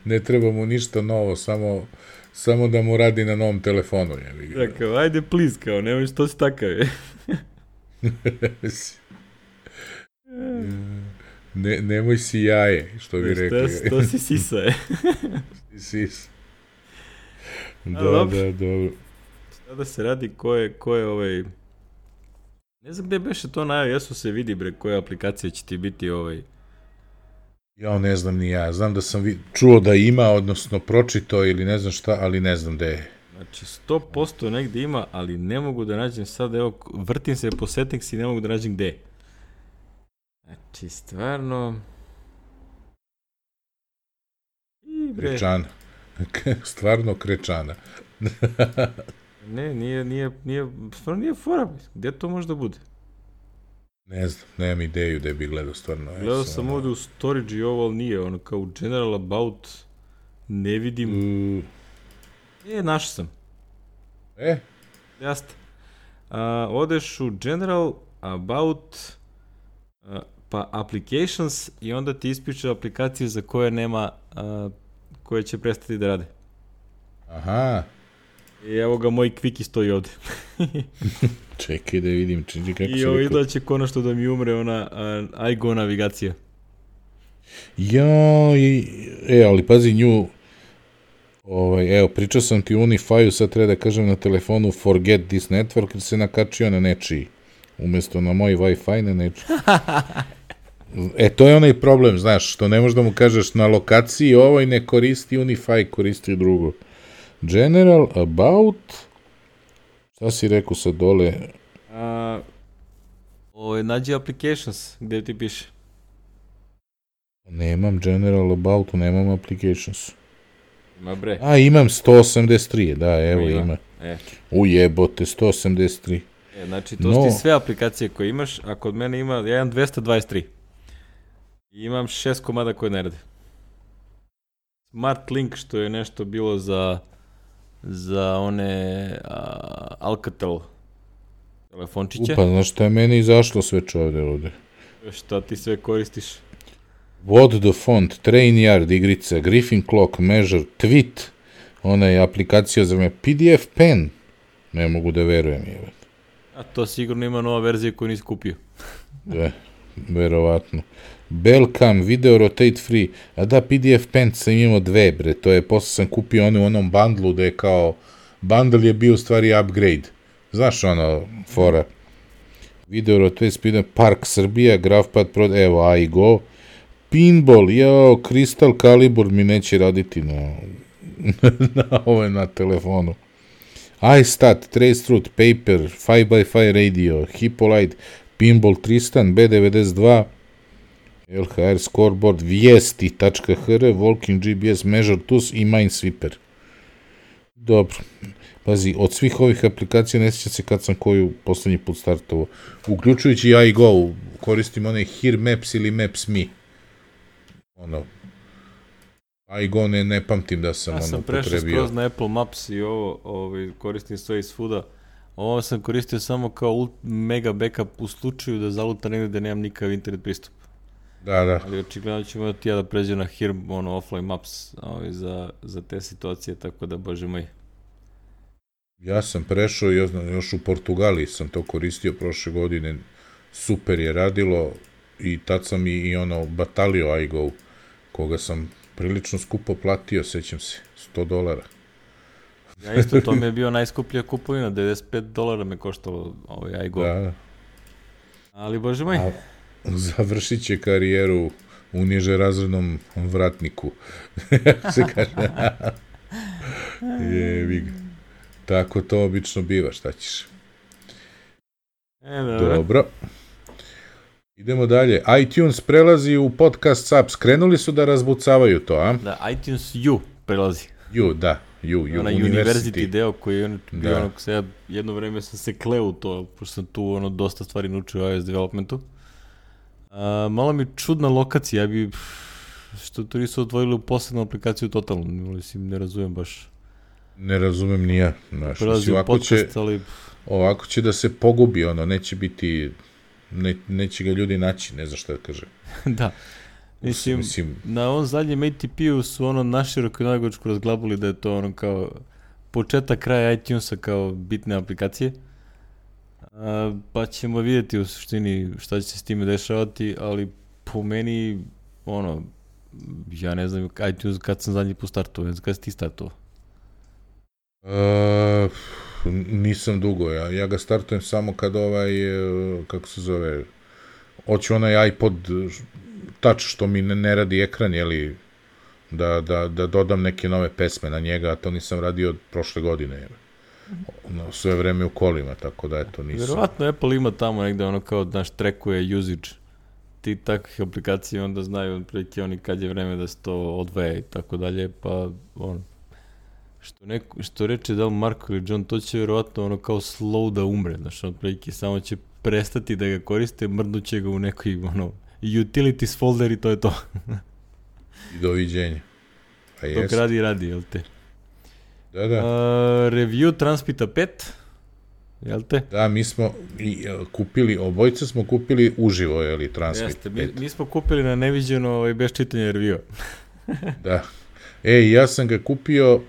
Speaker 1: ne treba mu ništa novo, samo, samo da mu radi na novom telefonu. Je.
Speaker 2: Ja kao, ajde, please, kao, nemoj što si takav je.
Speaker 1: ne, nemoj si jaje, što bi rekli.
Speaker 2: To, to si sisa, je.
Speaker 1: Sis. Da,
Speaker 2: dobro.
Speaker 1: da, dobro.
Speaker 2: Sada se radi ko je, ko je ovaj... Ne znam gde beše to na iOS-u se vidi, bre, koja aplikacija će ti biti ovaj...
Speaker 1: Ja ne znam ni ja. Znam da sam vi- čuo da ima, odnosno pročitao ili ne znam šta, ali ne znam gde je.
Speaker 2: Znači, sto posto negde ima, ali ne mogu da nađem sad, evo, vrtim se po settings i ne mogu da nađem gde je. Znači, stvarno... I bre,
Speaker 1: Krečana. Stvarno krečana.
Speaker 2: ne, nije, nije, nije, stvarno nije fora, gde to može da bude?
Speaker 1: Ne znam, nemam ideju da bi gledao stvarno. Ja
Speaker 2: Gledao sam
Speaker 1: ono-
Speaker 2: ovde u storage i ovo, ali nije, ono kao u general about, ne vidim,
Speaker 1: U,
Speaker 2: e, našao sam.
Speaker 1: E,
Speaker 2: Jeste. A, odeš u General, About, a, pa Applications i onda ti ispiče aplikacije za koje nema, a, koje će prestati da rade.
Speaker 1: aha.
Speaker 2: I evo ga, moj Quickie stoji ovde.
Speaker 1: Čekaj da vidim, čini kako
Speaker 2: I
Speaker 1: se
Speaker 2: ovo
Speaker 1: rekao.
Speaker 2: da će konačno da mi umre ona a, iGo navigacija.
Speaker 1: Ja, i, e, ali pazi nju, Ovaj, evo, pričao sam ti o Unify-u, sad treba da kažem na telefonu forget this network, jer se nakačio na nečiji. Umjesto na moj Wi-Fi, na nečiji. E, to je onaj problem, znaš, što ne možeš da mu kažeš na lokaciji ovoj ne koristi Unify, koristi drugo. General, about, šta si rekao sad dole?
Speaker 2: A, ovo, nađi applications, gdje ti piše?
Speaker 1: Nemam general about, nemam applications.
Speaker 2: Ima bre.
Speaker 1: A, imam sto osamdeset tri, da, evo ima. ima.
Speaker 2: E.
Speaker 1: Ujebote, sto osamdeset tri.
Speaker 2: E, znači, to no. su ti sve aplikacije koje imaš, a kod mene ima, ja imam dvesta dvadeset tri. I imam šest komada koje ne rade. Smart Link, što je nešto bilo za, za one a, Alcatel telefončiće.
Speaker 1: Upa, znaš šta je meni izašlo sve čovde ovde?
Speaker 2: Šta ti sve koristiš?
Speaker 1: What the font, Train Yard, igrica, Griffin Clock, Measure, Tweet, ona je aplikacija za me, P D F Pen, ne mogu da verujem. Je.
Speaker 2: A to sigurno ima nova verzija koju nisi kupio.
Speaker 1: Da, verovatno. Belcam, Video Rotate Free, a da, P D F Pen sam imao dve, bre, to je, posle sam kupio ono u onom bundlu da je kao, bundle je bio u stvari upgrade. Znaš ono, fora. Video Rotate Speed, Park Srbija, GraphPad Pro, evo, iGo, Pinball, jao, Crystal Calibur mi neće raditi na, na, ovaj, na telefonu. iStat, Traceroute, Paper, five by five Radio, Hippolyte, Pinball Tristan, B devedeset dva, L H R Scoreboard, Vijesti tačka h r, Walking G P S, Measure Tools i Minesweeper. Dobro. Pazi, od svih ovih aplikacija ne sjeća se kad sam koju poslednji put startovao. Uključujući iGo, koristim onaj Here Maps ili Maps Me. Ono, iGo ne, ne pamtim da sam,
Speaker 2: ja
Speaker 1: ono
Speaker 2: sam
Speaker 1: potrebio.
Speaker 2: prešao skroz na Apple Maps i ovo, ovo koristim sve iz svuda. Ovo sam koristio samo kao mega backup u slučaju da zaluta negdje da nemam nikakav internet pristup.
Speaker 1: Da, da.
Speaker 2: Ali očigledno ćemo da ti ja da pređem na Here, ono, offline maps ovaj, za, za te situacije, tako da, bože moj.
Speaker 1: Ja sam prešao, još u Portugaliji sam to koristio prošle godine, super je radilo i tad sam i, i ono batalio iGo, koga sam prilično skupo platio, sećam se, sto dolara.
Speaker 2: Ja isto, to mi je bio najskuplja kupovina, devedeset pet dolara me koštalo ovaj iGo.
Speaker 1: Da.
Speaker 2: Ali, bože moj.
Speaker 1: A, završit će karijeru u niže razrednom vratniku. Se kaže. Jebi ga. Tako to obično biva, šta ćeš?
Speaker 2: E, dobro.
Speaker 1: Dobro. Idemo dalje. iTunes prelazi u podcast subs. Krenuli su da razbucavaju to, a?
Speaker 2: Da, iTunes U prelazi.
Speaker 1: U, da. U, U,
Speaker 2: Ona
Speaker 1: University.
Speaker 2: University deo koji je ono, bio
Speaker 1: Da.
Speaker 2: ono, se ja jedno vreme sam se kleo u to, pošto sam tu ono dosta stvari naučio u iOS developmentu. A, malo mi čudna lokacija, ja bi, što to nisu odvojili u posebnu aplikaciju totalno, mislim, ne razumem baš.
Speaker 1: Ne razumem ni ja. Znaš,
Speaker 2: Prelazi
Speaker 1: mislim,
Speaker 2: u
Speaker 1: ovako,
Speaker 2: podcast,
Speaker 1: će,
Speaker 2: ali...
Speaker 1: ovako će da se pogubi, ono, neće biti, ne, neće ga ljudi naći, ne znam šta da kaže.
Speaker 2: Da. Mislim,
Speaker 1: Mislim,
Speaker 2: na ovom zadnjem A T P-u su ono naširoko i nagočko razglabuli da je to ono kao početak kraja iTunesa kao bitne aplikacije. A, pa ćemo vidjeti u suštini šta će se s time dešavati, ali po meni, ono, ja ne znam iTunes kad sam zadnji put startovao, ne znam kad si ti startovao.
Speaker 1: Uh, nisam dugo, ja, ja ga startujem samo kad ovaj, kako se zove, hoću onaj iPod Touch što mi ne, ne radi ekran, jeli, da, da, da dodam neke nove pesme na njega, a to nisam radio od prošle godine, jel. No, sve vreme u kolima, tako da eto nisam.
Speaker 2: Vjerovatno Apple ima tamo negde ono kao, znaš, trackuje usage ti takvih aplikacija, onda znaju otprilike oni kad je vreme da se to odvaja i tako dalje, pa ono, što, neko, što reče da li Marko ili John, to će vjerovatno ono kao slow da umre, znaš, otprilike samo će prestati da ga koriste, mrdnuće ga u nekoj ono, utilities folder i to je to.
Speaker 1: I doviđenja. Pa
Speaker 2: dok radi, radi, jel te?
Speaker 1: Da, da.
Speaker 2: Uh, review Transpita pet, jel te?
Speaker 1: Da, mi smo i, uh, kupili, obojica smo kupili uživo, jeli, Transpit
Speaker 2: Jeste,
Speaker 1: pet.
Speaker 2: mi, mi smo kupili na neviđeno ovaj, bez čitanja reviewa.
Speaker 1: Da. Ej, ja sam ga kupio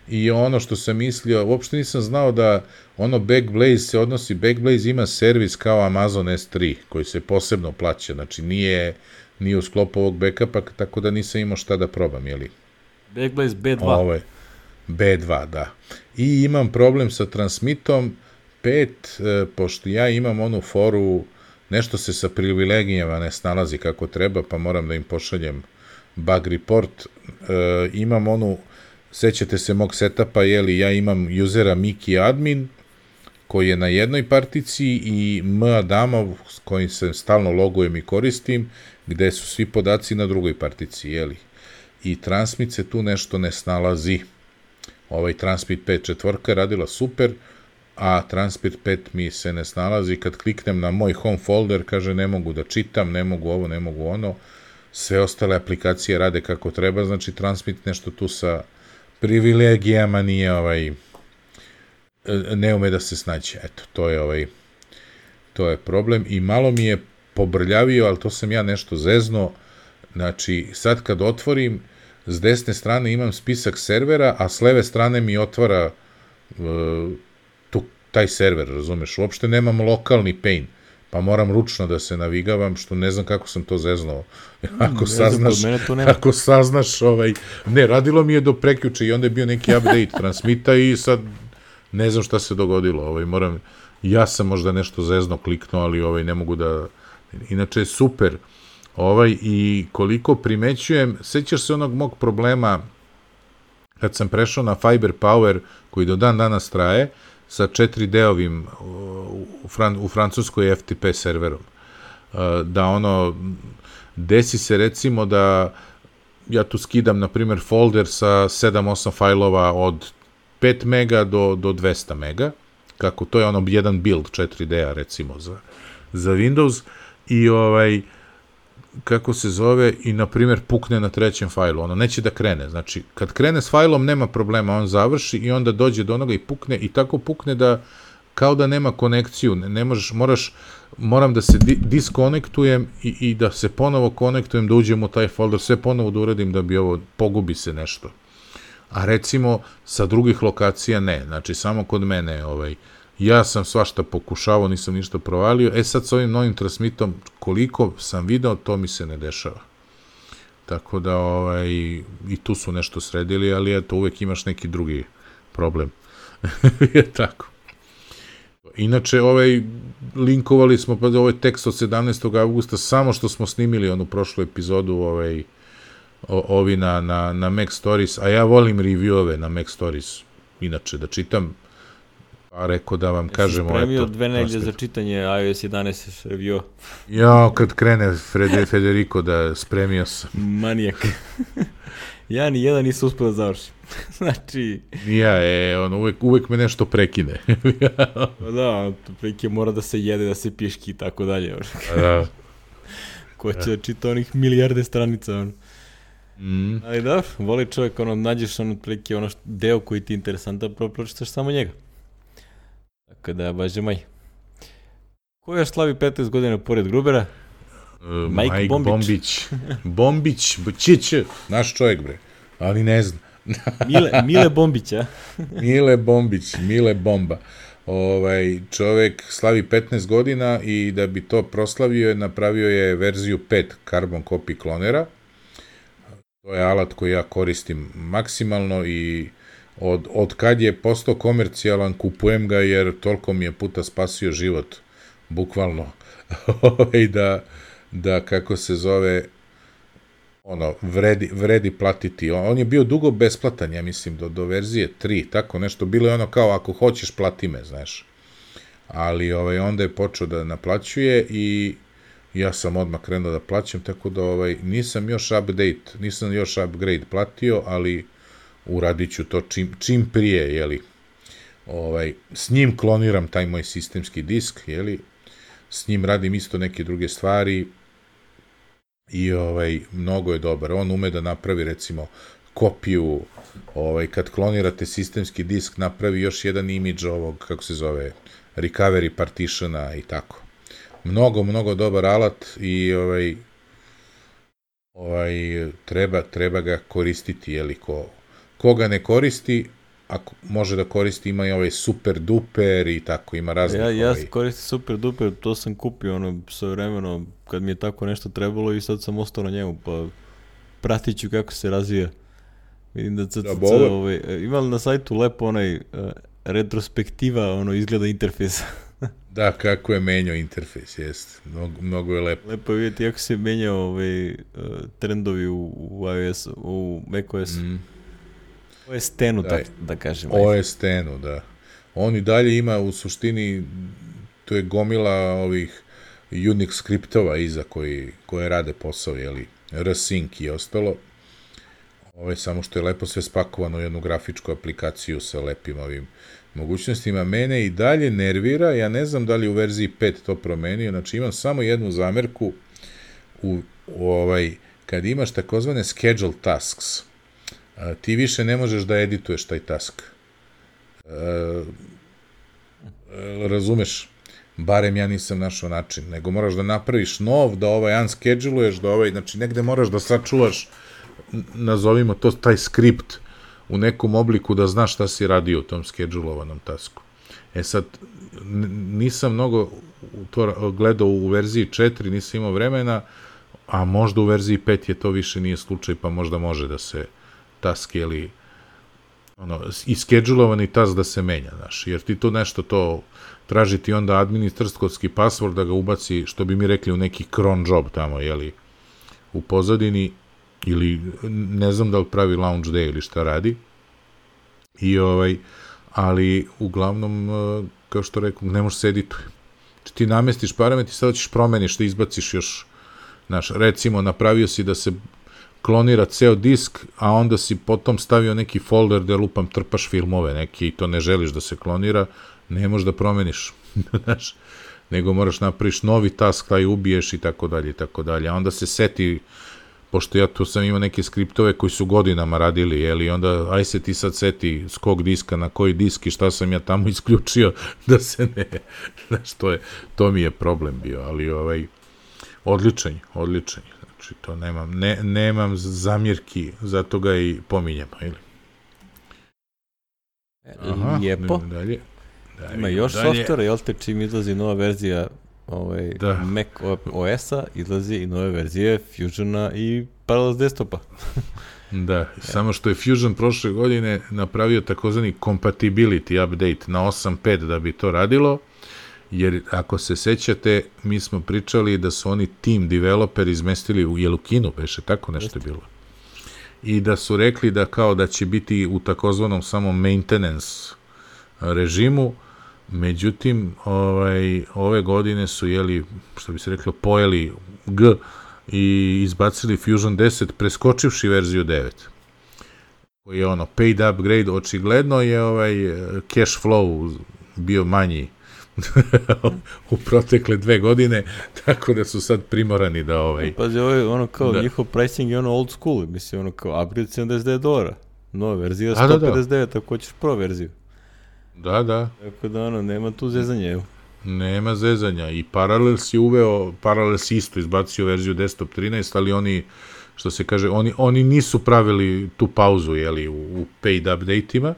Speaker 1: i ono što sam mislio, uopšte nisam znao da ono Backblaze se odnosi, Backblaze ima servis kao Amazon S tri, koji se posebno plaća, znači nije, nije u sklopu ovog backupa, tako da nisam imao šta da probam, jeli?
Speaker 2: Backblaze B dva.
Speaker 1: Ovaj. B dva, da. I imam problem sa transmitom pet, e, pošto ja imam onu foru, nešto se sa privilegijama ne snalazi kako treba, pa moram da im pošaljem bug report. E, imam onu, sećate se mog setapa, jeli, ja imam usera Miki admin, koji je na jednoj partici, i M Adamov, s kojim se stalno logujem i koristim, gde su svi podaci na drugoj partici, jeli. I transmit se tu nešto ne snalazi. Ovaj transmit pet četvorka je radila super, a transmit pet mi se ne snalazi. Kad kliknem na moj home folder, kaže ne mogu da čitam, ne mogu ovo, ne mogu ono. Sve ostale aplikacije rade kako treba, znači transmit nešto tu sa privilegijama nije ovaj, ne ume da se snađe. Eto, to je ovaj, to je problem i malo mi je pobrljavio, ali to sam ja nešto zezno. Znači, sad kad otvorim, s desne strane imam spisak servera, a s leve strane mi otvara uh, tu, taj server, razumeš? Uopšte nemam lokalni pain, pa moram ručno da se navigavam, što ne znam kako sam to zeznao. Ako saznaš, ako saznaš, ovaj, ne, radilo mi je do prekjuče i onda je bio neki update transmita i sad ne znam šta se dogodilo, ovaj, moram, ja sam možda nešto zezno kliknuo, ali ovaj, ne mogu da, inače je super. Ovaj, i koliko primećujem, sećaš se onog mog problema kad sam prešao na Fiber Power, koji do dan danas traje, sa četiri D-ovim u, Fran, u Francuskoj F T P serverom. Da ono, desi se recimo da ja tu skidam, na primjer, folder sa sedam osam fajlova od pet mega do, do dvesta mega, kako to je ono jedan build četiri D-a recimo za, za Windows, i ovaj, kako se zove, i na primjer pukne na trećem fajlu, ono neće da krene, znači kad krene s fajlom nema problema, on završi i onda dođe do onoga i pukne, i tako pukne da kao da nema konekciju, ne, ne možeš, moraš, moram da se di, diskonektujem i, i da se ponovo konektujem, da uđem u taj folder, sve ponovo da uradim da bi ovo, pogubi se nešto. A recimo sa drugih lokacija ne, znači samo kod mene, ovaj, ja sam svašta pokušavao, nisam ništa provalio, e sad s ovim novim transmitom, koliko sam video, to mi se ne dešava. Tako da, ovaj, i tu su nešto sredili, ali eto, uvek imaš neki drugi problem. Je tako. Inače, ovaj, linkovali smo, pa ovaj tekst od sedamnaestog avgusta, samo što smo snimili onu prošlu epizodu, ovaj, o, ovi na, na, na Mac Stories, a ja volim review-ove na Mac Stories, inače, da čitam, pa rekao da vam kažem...
Speaker 2: Jesi spremio dve nedelje za čitanje i O S jedanaest review?
Speaker 1: Ja, kad krene Fred, Federico da spremio sam.
Speaker 2: Manijak. Ja ni jedan nisam uspio da završim. Znači...
Speaker 1: Ja, e, on uvek, uvek me nešto prekine.
Speaker 2: Da, prilike mora da se jede, da se piški i tako dalje.
Speaker 1: Da.
Speaker 2: Ko će da čita onih milijarde stranica, on.
Speaker 1: Mm.
Speaker 2: Ali da, voli čovjek, ono, nađeš ono, prilike, ono, deo koji ti je interesantan, prvo pročitaš samo njega. Tako da, baže maj. Ko još slavi petnaest godina pored Grubera?
Speaker 1: Uh, Mike, Mike Bombić. Bombić. Bombić, Čić, naš čovjek, bre. Ali ne znam.
Speaker 2: Mile, Mile Bombić, a?
Speaker 1: Mile Bombić, Mile Bomba. Ovaj, čovjek slavi petnaest godina i da bi to proslavio, napravio je verziju pet Carbon Copy klonera. To je alat koji ja koristim maksimalno i Od, od kad je postao komercijalan, kupujem ga jer toliko mi je puta spasio život, bukvalno, da, da, kako se zove, ono, vredi, vredi platiti. On, on je bio dugo besplatan, ja mislim, do, do verzije tri, tako nešto, bilo je ono kao, ako hoćeš, plati me, znaš. Ali ovaj, onda je počeo da naplaćuje i ja sam odmah krenuo da plaćam, tako da ovaj, nisam još update, nisam još upgrade platio, ali uradit ću to čim, čim prije, jeli, ovaj, s njim kloniram taj moj sistemski disk, jeli, s njim radim isto neke druge stvari i ovaj, mnogo je dobar. On ume da napravi, recimo, kopiju, ovaj, kad klonirate sistemski disk, napravi još jedan imidž ovog, kako se zove, recovery partitiona i tako. Mnogo, mnogo dobar alat i ovaj, ovaj, treba, treba ga koristiti, jeli, ko koga ne koristi, ako može da koristi, ima i ovaj super duper i tako, ima raznih...
Speaker 2: Ja, ja
Speaker 1: ovaj...
Speaker 2: koristim super duper, to sam kupio ono svoje vremeno kad mi je tako nešto trebalo i sad sam ostao na njemu, pa pratit ću kako se razvija. Vidim da C C C,
Speaker 1: Da, bo ovo-
Speaker 2: ovaj, ima li na sajtu lepo onaj uh, retrospektiva, ono, izgleda interfejsa.
Speaker 1: Da, kako je menjao interfejs, jest. Mnogo, mnogo je lepo.
Speaker 2: Lepo je vidjeti kako se menjao ovaj, uh, trendovi u, u iOS, u macOS.
Speaker 1: Mm.
Speaker 2: O S X-u,
Speaker 1: Da.
Speaker 2: tak, da kažem.
Speaker 1: O S X-u, da. On i dalje ima u suštini, to je gomila ovih Unix skriptova iza koji, koje rade posao, jeli, rsync i ostalo. Ovo je samo što je lepo sve spakovano u jednu grafičku aplikaciju sa lepim ovim mogućnostima. Mene i dalje nervira, ja ne znam da li u verziji pet to promenio, znači imam samo jednu zamerku u, u ovaj, kad imaš takozvane schedule tasks, a, ti više ne možeš da edituješ taj task. A, razumeš? Barem ja nisam našao način, nego moraš da napraviš nov, da ovaj unscheduluješ, da ovaj, znači negde moraš da sačuvaš, nazovimo to taj skript u nekom obliku da znaš šta si radio u tom schedulovanom tasku. E sad, nisam mnogo to gledao u verziji četiri, nisam imao vremena, a možda u verziji pet je to više nije slučaj, pa možda može da se task, jeli, ono, i schedulovani task da se menja, znaš, jer ti to nešto to traži ti onda administratorski password da ga ubaci, što bi mi rekli, u neki cron job tamo, jeli, u pozadini, ili ne znam da li pravi launch day ili šta radi, i ovaj, ali uglavnom, kao što rekao, ne možeš se edituje. Znači ti namestiš parametri, sada ćeš promeniš, da izbaciš još, znaš, recimo, napravio si da se klonira ceo disk, a onda si potom stavio neki folder gde lupam trpaš filmove neke i to ne želiš da se klonira, ne možeš da promeniš, znaš, nego moraš napraviš novi task, taj ubiješ i tako dalje i tako dalje, a onda se seti, pošto ja tu sam imao neke skriptove koji su godinama radili, jeli, onda aj se ti sad seti s kog diska na koji disk i šta sam ja tamo isključio da se ne, znaš, to je, to mi je problem bio, ali ovaj, odličan, odličan, znači to nemam, ne, nemam zamjerki, zato ga i pominjemo, ili? Aha,
Speaker 2: Lijepo.
Speaker 1: dalje. Da,
Speaker 2: Ima još
Speaker 1: dalje.
Speaker 2: softvera, jel te, čim izlazi nova verzija ovaj,
Speaker 1: Da.
Speaker 2: Mac O S-a, izlazi i nove verzije Fusiona i Parallels desktopa.
Speaker 1: Da, ja. Samo što je Fusion prošle godine napravio takozvani compatibility update na osam pet da bi to radilo, jer ako se sećate, mi smo pričali da su oni team developer izmestili u Jelukinu, beše tako nešto je bilo. I da su rekli da kao da će biti u takozvanom samo maintenance režimu, međutim, ovaj, ove godine su, jeli, što bi se reklo, pojeli G i izbacili Fusion deset, preskočivši verziju devet. Koji je ono, paid upgrade, očigledno je ovaj cash flow bio manji u protekle dve godine, tako da su sad primorani da ovaj...
Speaker 2: Pazi, ovo je ono kao,
Speaker 1: da.
Speaker 2: njihov pricing je ono old school, mislim, ono kao upgrade sedamdeset devet dolara, nova verzija
Speaker 1: A, da,
Speaker 2: sto pedeset devet,
Speaker 1: da.
Speaker 2: ako hoćeš pro verziju.
Speaker 1: Da, da.
Speaker 2: Tako da, ono, nema tu zezanja, evo.
Speaker 1: Nema zezanja i Parallels je uveo, Parallels isto izbacio verziju desktop trinaest, ali oni, što se kaže, oni, oni nisu pravili tu pauzu, jeli, u, u paid update-ima,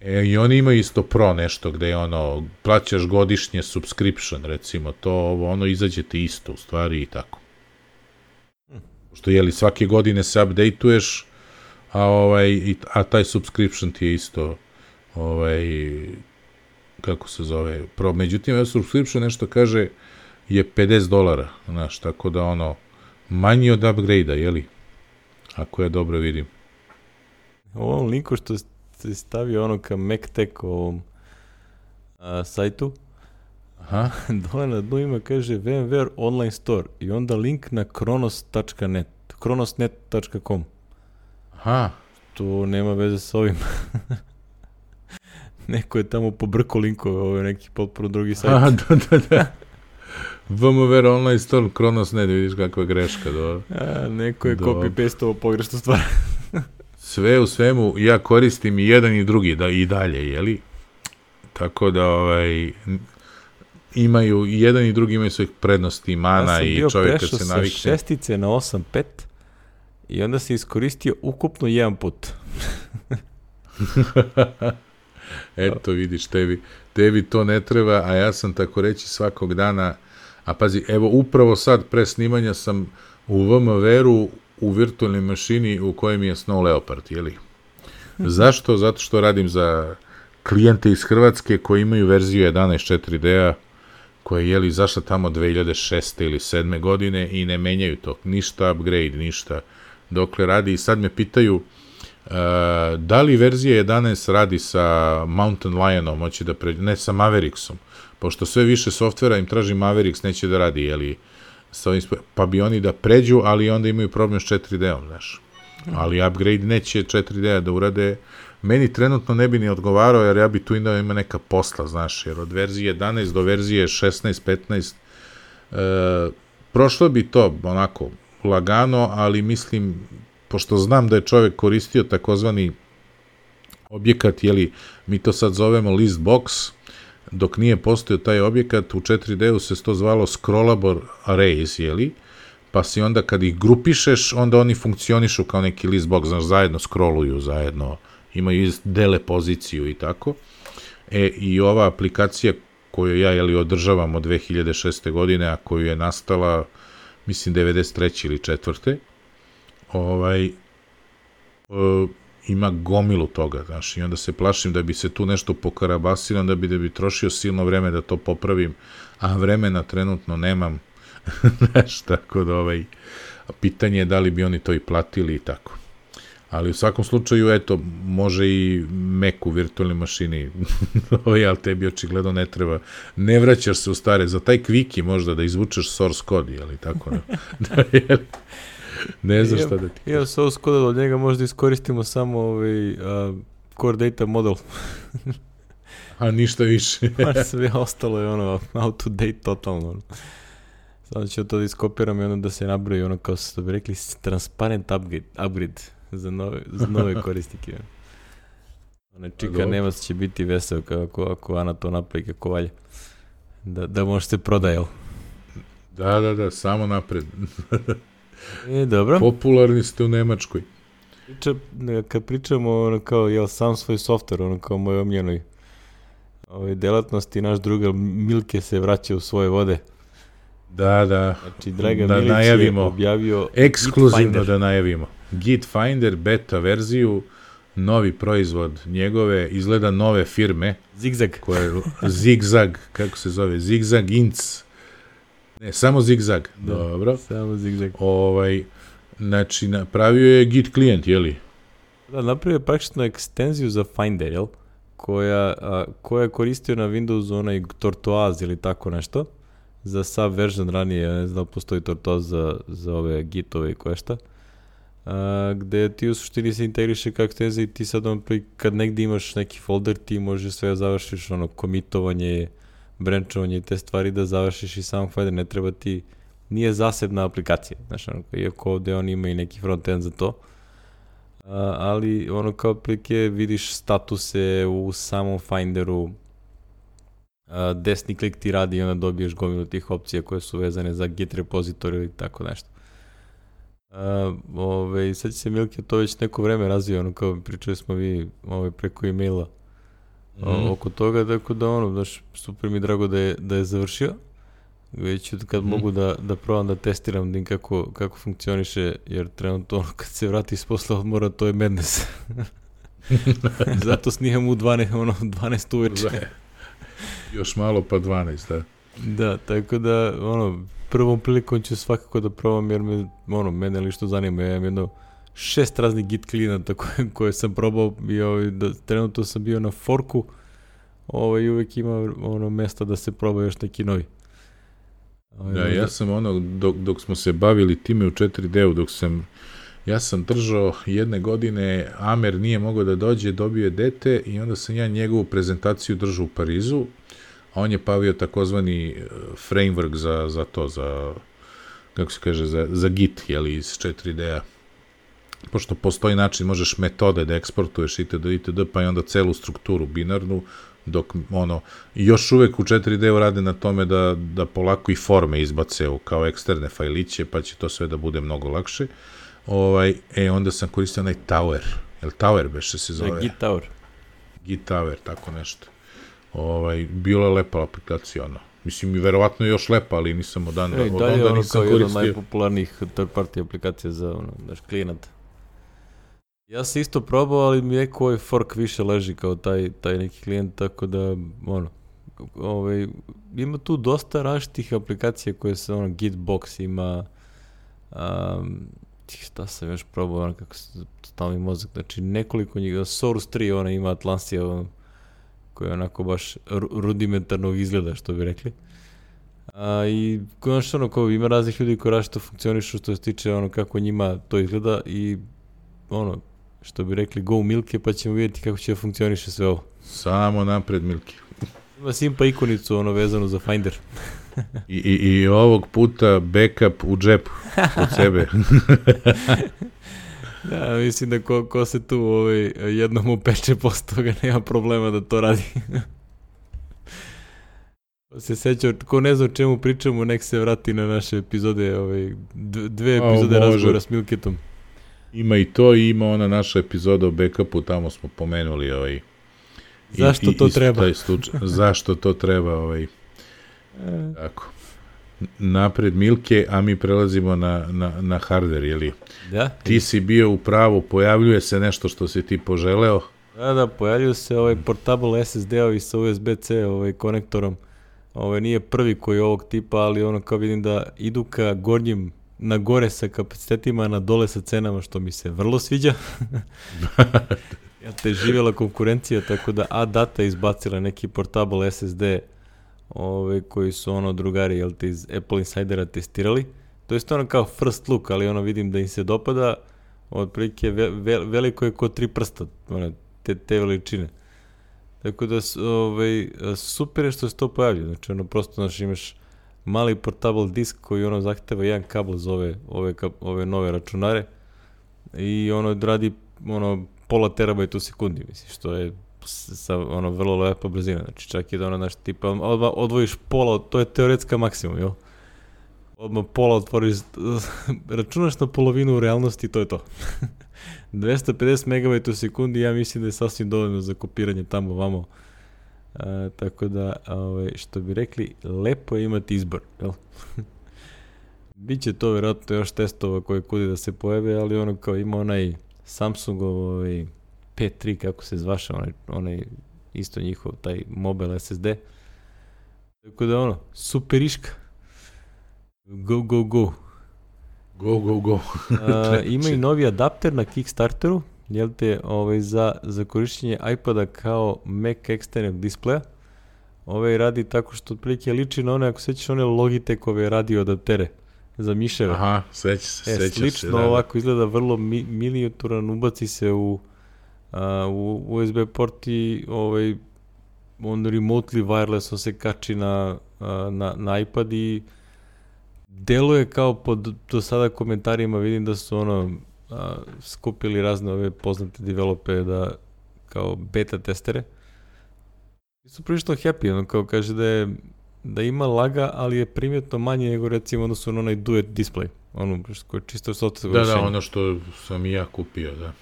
Speaker 1: e, i oni imaju isto pro nešto, gde je ono, plaćaš godišnje subscription, recimo, to, ovo, ono, izađe ti isto, u stvari, i tako. Što, jeli, svake godine se update-uješ, a, ovaj, i, a taj subscription ti je isto, ovaj, kako se zove, pro, međutim, ja subscription nešto kaže je pedeset dolara, znaš, tako da ono, manji od upgrade-a, jeli? Ako ja dobro vidim.
Speaker 2: U ovom linku što se stavio ono ka MacTech ovom a, sajtu,
Speaker 1: Aha.
Speaker 2: dole na dnu ima, kaže VMware online store i onda link na kronos tačka net, kronosnet tačka com.
Speaker 1: Aha.
Speaker 2: To nema veze sa ovim. Neko je tamo pobrko linkove, ovo je neki potpuno drugi sajt.
Speaker 1: Aha, da, da, da. VMware online store, Kronos ne, vidiš kakva greška. Do,
Speaker 2: A, neko je
Speaker 1: do...
Speaker 2: copy-pasteovo pogrešnu stvar.
Speaker 1: Sve u svemu, ja koristim i jedan i drugi da, i dalje, jeli? Tako da, ovaj, imaju, i jedan i drugi imaju svojih prednosti, mana
Speaker 2: ja
Speaker 1: i čovjek kad se navikne.
Speaker 2: Ja sam bio prešao sa šestice na osam pet i onda se iskoristio ukupno jedan put.
Speaker 1: Eto, vidiš, tebi, tebi to ne treba, a ja sam tako reći svakog dana, a pazi, evo, upravo sad pre snimanja sam u VMware-u u virtualnoj mašini u kojem je Snow Leopard, jeli? Zašto? Zato što radim za klijente iz Hrvatske koji imaju verziju jedanaest četiri D-a, koja je, jeli, zašla tamo dve hiljade šeste ili sedme godine i ne menjaju to. Ništa upgrade, ništa. Dokle radi, i sad me pitaju uh, da li verzija jedanaest radi sa Mountain Lionom, hoće da pređe, ne, sa Mavericksom, pošto sve više softvera im traži Mavericks, neće da radi, jeli, sa ovim, pa bi oni da pređu, ali onda imaju problem s četiri D-om, znaš. Ali upgrade neće četiri D-a da urade. Meni trenutno ne bi ni odgovarao, jer ja bi tu imao ima neka posla, znaš, jer od verzije jedanaest do verzije šesnaest petnaest e, prošlo bi to onako lagano, ali mislim, pošto znam da je čovjek koristio takozvani objekat, jeli, mi to sad zovemo list box, dok nije postojao taj objekat, u četiri D-u se to zvalo scrollable arrays, jeli, pa si onda kad ih grupišeš, onda oni funkcionišu kao neki list box, znaš, zajedno scrolluju, zajedno imaju dele poziciju i tako. E, i ova aplikacija koju ja, jeli, održavam od dve hiljade šeste godine, a koju je nastala, mislim, devedeset treće ili četvrte ovaj, e, ima gomilu toga, znaš, i onda se plašim da bi se tu nešto pokarabasilo, onda bi da bi trošio silno vreme da to popravim, a vremena trenutno nemam, znaš, tako da, ovaj, pitanje je da li bi oni to i platili i tako. Ali u svakom slučaju, eto, može i Mac u virtualnoj mašini, ali tebi očigledno ne treba, ne vraćaš se u stare, za taj Quickie možda da izvučeš source code, jeli tako, ne, da, jeli, ne znaš šta da ti...
Speaker 2: Ja, source code od njega možda iskoristimo samo ovaj, uh, core data model.
Speaker 1: A ništa više.
Speaker 2: A sve ostalo je ono, out to date totalno. Samo ću to da iskopiram i ono da se nabroji, ono kao što bi rekli, transparent upgrade, upgrade. Za nove, za nove korisnike. Ona čika Nemac će biti vesel kako ako Ana to napravi kako valja. Da, da možete prodajel.
Speaker 1: Da, da, da, samo napred.
Speaker 2: E, dobro.
Speaker 1: Popularni ste u Nemačkoj.
Speaker 2: Priča, kad pričamo ono kao, jel, sam svoj softver, ono kao moj omljenoj ove delatnosti, naš druga Milke se vraća u svoje vode.
Speaker 1: Da, da.
Speaker 2: Znači, Draga
Speaker 1: da
Speaker 2: Milić
Speaker 1: najavimo,
Speaker 2: je objavio
Speaker 1: ekskluzivno da najavimo. Git Finder, beta verziju, novi proizvod njegove, izgleda nove firme.
Speaker 2: Zigzag.
Speaker 1: Koje, Zigzag, kako se zove? Zigzag Inc. Ne, samo Zigzag.
Speaker 2: Da,
Speaker 1: dobro.
Speaker 2: Samo Zigzag.
Speaker 1: Ovaj, znači, napravio je Git klijent, jeli?
Speaker 2: Da, napravio je praktično ekstenziju za Finder, jel? Koja, a, koja je koristio na Windowsu onaj Tortoise ili tako nešto. Za subversion ranije, ja ne znam da postoji Tortoise za, za ove Gitove i koje šta. Uh, gde ti u suštini se integriše kao ekstenzija i ti sad on, kad negdje imaš neki folder, ti možeš sve završiš, ono, komitovanje, branchovanje i te stvari da završiš i sam Finder, ne treba ti, nije zasebna aplikacija, znaš, ono, iako ovdje on ima i neki frontend za to, uh, ali ono kao prilike vidiš statuse u samom Finderu, uh, desni klik ti radi i onda dobiješ gomilu tih opcija koje su vezane za Git repository ili tako nešto. Uh, ove, sad će se Milke to već neko vreme razvija, ono kao pričali smo vi ove, preko e-maila mm. o, oko toga, tako da ono, daš, super mi drago da je, da je završio, već kad mm. mogu da, da probam da testiram da kako, kako funkcioniše, jer trenutno ono, kad se vrati s posla odmora, to je madness. Zato snimam u dvanaest, ono, dvanaest uveče.
Speaker 1: Još malo pa dvanaest, da.
Speaker 2: Da, tako da, ono, prvom prilikom ću svakako da probam, jer me, ono, mene li što zanima, ja imam jedno šest raznih git klijenata koje, koje sam probao i ovaj, da, trenutno sam bio na forku, ovaj, uvek ima ono mesta da se proba još neki novi. Ovaj,
Speaker 1: da, ja sam ono, dok, dok smo se bavili time u četiri D-u, dok sam, ja sam držao jedne godine, Amer nije mogao da dođe, dobio je dete i onda sam ja njegovu prezentaciju držao u Parizu, a on je pavio takozvani framework za, za to, za, kako se kaže, za, za Git, jeli, iz četiri D-a. Pošto postoji način, možeš metode da eksportuješ itd. itd. Pa i onda celu strukturu binarnu, dok ono, još uvek u četiri D-u rade na tome da, da polako i forme izbace u, kao eksterne fajliće, pa će to sve da bude mnogo lakše. Ovaj, e, onda sam koristio onaj Tower, jel Tower beše se zove?
Speaker 2: Git Tower.
Speaker 1: Git Tower, tako nešto. Ovaj, bila je lepa aplikacija, ono. Mislim, i verovatno je još lepa, ali nisam od onda,
Speaker 2: E,
Speaker 1: od
Speaker 2: dalje
Speaker 1: onda
Speaker 2: ono
Speaker 1: nisam
Speaker 2: kao jedan od
Speaker 1: koristio.
Speaker 2: najpopularnijih third party aplikacija za ono, daš, klijenata. Ja sam isto probao, ali mi neko ovaj fork više leži kao taj, taj neki klijent, tako da, ono, ovaj, ima tu dosta različitih aplikacija koje se, ono, Gitbox ima, um, šta sam još probao, ono, kako se stavi mozak, znači nekoliko njih, Source tri, ona ima Atlansija, ono, koja je onako baš rudimentarnog izgleda, što bi rekli. A, i konačno ono, kao ima raznih ljudi koji različito funkcionišu što se tiče ono kako njima to izgleda i ono, što bi rekli go Milke, pa ćemo vidjeti kako će da funkcioniše sve ovo.
Speaker 1: Samo napred, Milki.
Speaker 2: Ima simpa ikonicu ono vezanu za Finder.
Speaker 1: I, i, I ovog puta backup u džepu od sebe.
Speaker 2: Da, mislim da ko, ko se tu ovaj, jednom upeče posle toga nema problema da to radi. Se seća, ko ne zna o čemu pričamo, nek se vrati na naše epizode, ovaj, dve epizode
Speaker 1: o,
Speaker 2: razgovora s Milketom.
Speaker 1: Ima i to, i ima ona naša epizoda o backupu, tamo smo pomenuli ovaj...
Speaker 2: Zašto
Speaker 1: i,
Speaker 2: to
Speaker 1: i,
Speaker 2: treba?
Speaker 1: Taj slučaj, zašto to treba, ovaj... Tako. Napred Milke, a mi prelazimo na, na, na hardware, jeli?
Speaker 2: Da?
Speaker 1: Ti si bio u pravu, pojavljuje se nešto što si ti poželeo.
Speaker 2: Da, da, pojavljuje se ovaj portable S S D-ovi sa U S B C ovaj, konektorom. Ovaj, nije prvi koji je ovog tipa, ali ono kao vidim da idu ka gornjim, na gore sa kapacitetima, na dole sa cenama, što mi se vrlo sviđa. Ja te živjela konkurencija, tako da A-Data izbacila neki portable S S D ove, koji su ono drugari, jel te, iz Apple Insidera testirali. To je ono kao first look, ali ono vidim da im se dopada, otprilike ve, ve, veliko je ko tri prsta, one, te, te veličine. Tako da ovaj, super je što se to pojavlja, znači ono prosto znači, imaš mali portable disk koji ono zahteva jedan kabel za ove, ove, ove nove računare i ono radi ono pola terabajta u sekundi, mislim, što je sa ono vrlo lepa brzina, znači čak i da ono, znaš, tipa, odmah odvojiš pola, to je teoretska maksimum, jel? Odmah pola otvoriš, računaš na polovinu u realnosti, to je to. dvesta pedeset megabajta u sekundi, ja mislim da je sasvim dovoljno za kopiranje tamo vamo. A, tako da, ovaj, što bi rekli, lepo je imati izbor, jel? Biće to vjerojatno još testova koje kudi da se pojave, ali ono kao ima onaj Samsungov ovaj, P tri, kako se zvaša, onaj, onaj isto njihov, taj mobile S S D. Tako da ono, superiška. Go, go, go.
Speaker 1: Go, go, go.
Speaker 2: A, ima i novi adapter na Kickstarteru, jel te, ovaj, za, za korišćenje iPada kao Mac eksternog displeja. Ovaj radi tako što otprilike liči na one, ako sećaš, one Logitechove radio adaptere za miševe.
Speaker 1: Aha, sveća se,
Speaker 2: e,
Speaker 1: sveća
Speaker 2: slično
Speaker 1: se. Da,
Speaker 2: ovako izgleda vrlo mi, miniaturan, ubaci se u, a, u U S B port i ovaj, on remotely wireless on se kači na, a, na, na iPad i deluje kao pod do sada komentarima, vidim da su ono a, skupili razne ove poznate developere da kao beta testere. I su prilično happy, ono kao kaže da je da ima laga, ali je primjetno manje nego recimo odnosno na onaj duet display, ono koji je čisto software.
Speaker 1: Da, da, ono što sam i ja kupio, da.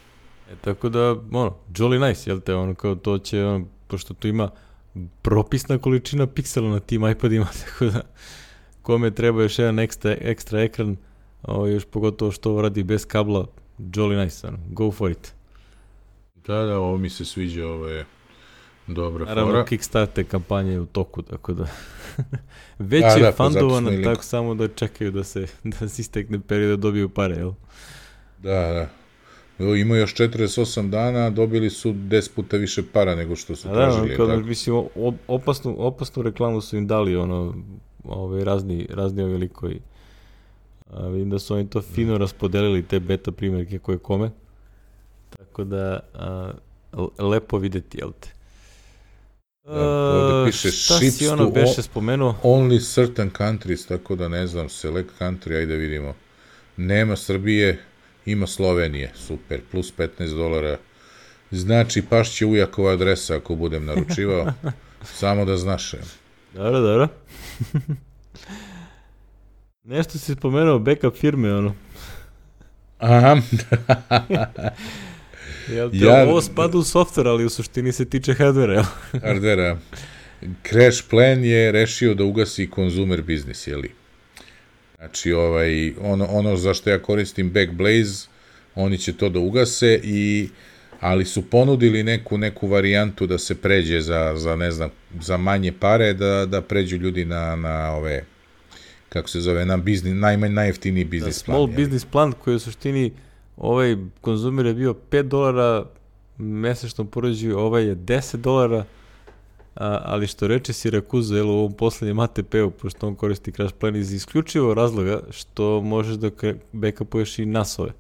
Speaker 2: E, tako da, ono, jolly nice, jel te, ono kao to će, ono, pošto tu ima propisna količina piksela na tim iPadima, tako da kome treba još jedan ekstra, ekstra ekran, o, još pogotovo što ovo radi bez kabla, jolly nice, ono, go for it.
Speaker 1: Da, da, ovo mi se sviđa, ovo je dobra
Speaker 2: Naravno,
Speaker 1: fora.
Speaker 2: Kickstarter kampanja je u toku, tako da već
Speaker 1: da,
Speaker 2: je
Speaker 1: da,
Speaker 2: fundovana,
Speaker 1: pa
Speaker 2: tako samo da čekaju da se, da se istekne period da dobiju pare, jel?
Speaker 1: Da, da. Evo, ima još četrdeset osam dana, dobili su deset puta više para nego što su tražili.
Speaker 2: Da, kao, mislim, opasnu, opasnu reklamu su im dali, ono, ove, razni, razni ovi likovi. A, vidim da su oni to fino raspodelili, te beta primjerke koje kome. Tako da, a, lepo videti, jel te?
Speaker 1: Da, ovdje piše
Speaker 2: šta
Speaker 1: ships
Speaker 2: si ono
Speaker 1: to
Speaker 2: beše spomenuo?
Speaker 1: only certain countries, tako da ne znam, select country, ajde vidimo. Nema Srbije, ima Slovenije, super, plus petnaest dolara. Znači, pašće ujakova adresa ako budem naručivao, samo da znaš.
Speaker 2: Dobro, dobro. Nešto si spomenuo, backup firme, ono.
Speaker 1: Aha.
Speaker 2: Jel te, ja, ovo spada u software, ali u suštini se tiče hardvera, jel?
Speaker 1: Hardvera. Crash Plan je rešio da ugasi konzumer biznis, jeli? Znači, ovaj, ono, ono za što ja koristim Backblaze, oni će to da ugase, i, ali su ponudili neku, neku varijantu da se pređe za, za, ne znam, za manje pare, da, da pređu ljudi na, na ove, kako se zove, na biznis, najmanj, najjeftiniji biznis plan.
Speaker 2: Small business plan koji u suštini ovaj konzumer je bio pet dolara mesečno poređuju, ovaj je deset dolara, a, ali što reče Sirakuza, jel, u ovom poslednjem A T P-u, pošto on koristi Crash Plan iz isključivo razloga što možeš da backupuješ i nasove.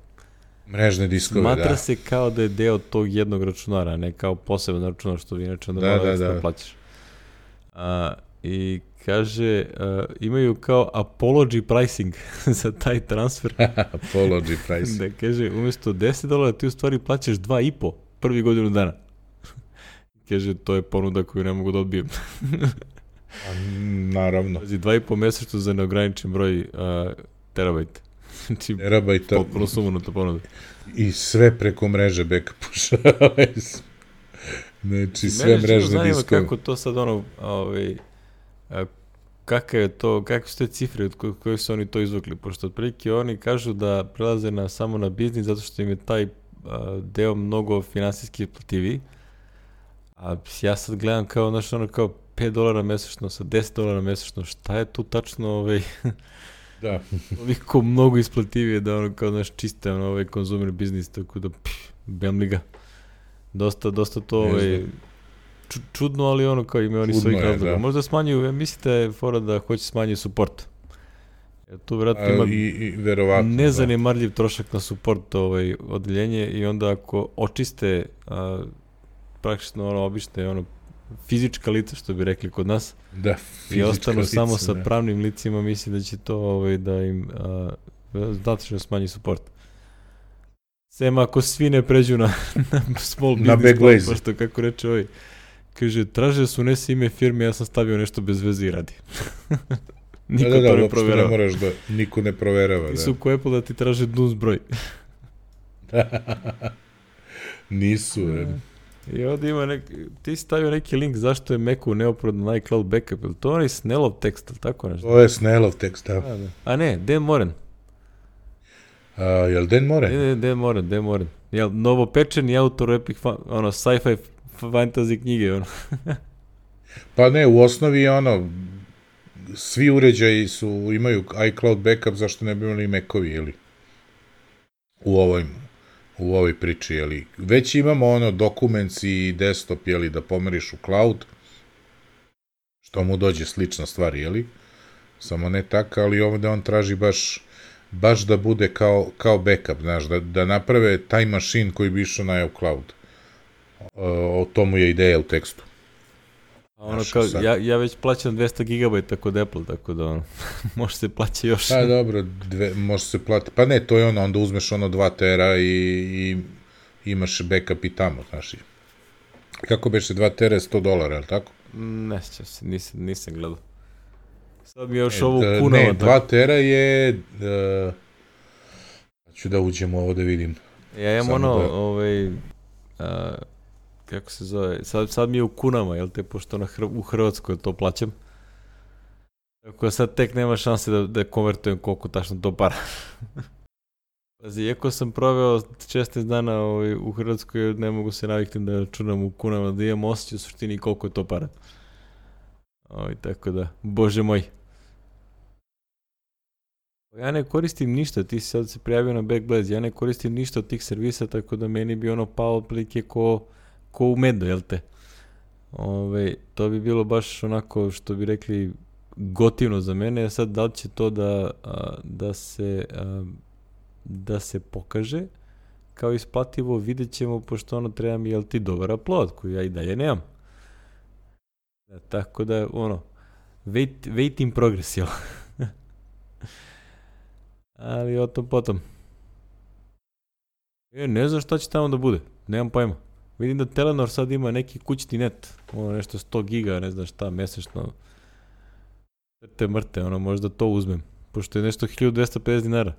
Speaker 1: Mrežne diskove,
Speaker 2: Smatra
Speaker 1: da.
Speaker 2: Smatra se kao da je deo tog jednog računara, ne kao poseban računar što vi inače onda da, da, da. plaćaš. A, I kaže, uh, imaju kao apology pricing za taj transfer.
Speaker 1: Apology pricing.
Speaker 2: Da kaže, umjesto deset dolara ti u stvari plaćaš dva i po prvi godinu dana. Kaže, to je ponuda koju ne mogu da odbijem.
Speaker 1: Naravno.
Speaker 2: Znači, dva i po mesečno za neograničen broj uh, terabajta. Znači,
Speaker 1: terabajta.
Speaker 2: Potpuno sumanuta ponuda.
Speaker 1: I sve preko mreže backupuša. Znači, sve mrežne diskove. Mene zanima
Speaker 2: kako to sad ono, ovaj, kakav je to, kakve su te cifre od koje su oni to izvukli, pošto otprilike oni kažu da prelaze na, samo na biznis zato što im je taj a, deo mnogo finansijski isplativiji, a ja sad gledam kao, znaš, ono kao pet dolara mesečno sa deset dolara mesečno, šta je tu tačno ovaj,
Speaker 1: da.
Speaker 2: toliko mnogo isplativije da ono kao, znaš, čiste ono, ovaj konzumer biznis, tako da pff, bem li ga. Dosta, dosta to ovaj, čudno, ali ono kao imaju oni svojih razloga. Možda smanjuju, mislite fora da hoće smanjiti support. Jer tu vjerojatno ima
Speaker 1: I, i, verovatno,
Speaker 2: nezanemarljiv da. trošak na support ovaj, odeljenje, i onda ako očiste a, praktično ono obične ono, fizička lica, što bi rekli kod nas,
Speaker 1: da,
Speaker 2: i ostanu
Speaker 1: lica,
Speaker 2: samo sa
Speaker 1: da. pravnim
Speaker 2: licima, mislim da će to ovaj, da im značajno smanji support. Sem ako svi ne pređu na, na small business,
Speaker 1: na Backblaze.
Speaker 2: Pošto kako reče ovaj, kaže, traže su unesi ime firme, ja sam stavio nešto bez veze i radi. Niko
Speaker 1: da, da,
Speaker 2: to
Speaker 1: da,
Speaker 2: ne proverava.
Speaker 1: Ne moraš da, niko ne proverava.
Speaker 2: Ti
Speaker 1: da.
Speaker 2: su ko Apple da ti traže D U N S broj.
Speaker 1: Nisu. Je.
Speaker 2: I ovdje ima neki, ti si stavio neki link zašto je Macu neophodan na iCloud backup, ili to onaj Snellov tekst, ili tako nešto?
Speaker 1: To je Snellov tekst, da.
Speaker 2: A, da. A ne, Dan Moren.
Speaker 1: A, jel Dan Moren?
Speaker 2: Ne, ne, Dan Moren, Dan Moren. Jel, novopečeni autor epic, ono, sci-fi fantasy knjige, ono.
Speaker 1: Pa ne, u osnovi je ono, svi uređaji su, imaju iCloud backup, zašto ne bi imali Macovi, ili? U ovoj, u ovoj priči, jeli? Već imamo ono, Documents i desktop, jeli, da pomeriš u cloud, što mu dođe slična stvar, jeli? Samo ne tako, ali ovde on traži baš baš da bude kao, kao backup, znaš, da, da naprave taj mašin koji bi išao na iCloud. O, o tomu je ideja u tekstu.
Speaker 2: A ono kao, ja, ja već plaćam dvesta gigabajta kod Apple, tako da ono, može se plaća još.
Speaker 1: Pa dobro, dve, može se plati, pa ne, to je ono, onda uzmeš ono dva tera i, i imaš backup i tamo, znaš. Kako beše dva tera, sto dolara, je li tako?
Speaker 2: Ne sjećam se, nisam, nisam gledao. Sad mi je još e, ovo kunava.
Speaker 1: Ne, dva tera je, uh, ću da uđemo ovo da vidim.
Speaker 2: Ja imam ono, da... ovaj, uh, kako se zove, sad, sad mi je u kunama, jel te, pošto na Hr u Hrvatskoj to plaćam. Tako da sad tek nema šanse da, da konvertujem koliko tačno to para. Pazi, iako sam proveo šesnaest dana ovaj, u Hrvatskoj, ne mogu se naviknuti da računam u kunama, da imam osjećaj u suštini koliko je to para. Ovaj, tako da, bože moj. Ja ne koristim ništa, ti si sad se prijavio na Backblaze, ja ne koristim ništa od tih servisa, tako da meni bi ono pao otprilike ko, ko u medu, jel te? Ove, to bi bilo baš onako, što bi rekli, gotivno za mene. Sad, da li će to da, a, da se a, da se pokaže kao isplativo, vidjet ćemo, pošto ono treba mi, jel ti, dobar upload, koji ja i dalje nemam. Da, tako da, ono, wait, wait in progress, jel? Ali o tom potom. E, ne znam šta će tamo da bude, nemam pojma. Vidim da Telenor sad ima neki kućni net, ono nešto sto giga, ne znam šta, mesečno. Te mrte, ono, možda to uzmem, pošto je nešto hiljadu dvesta pedeset dinara.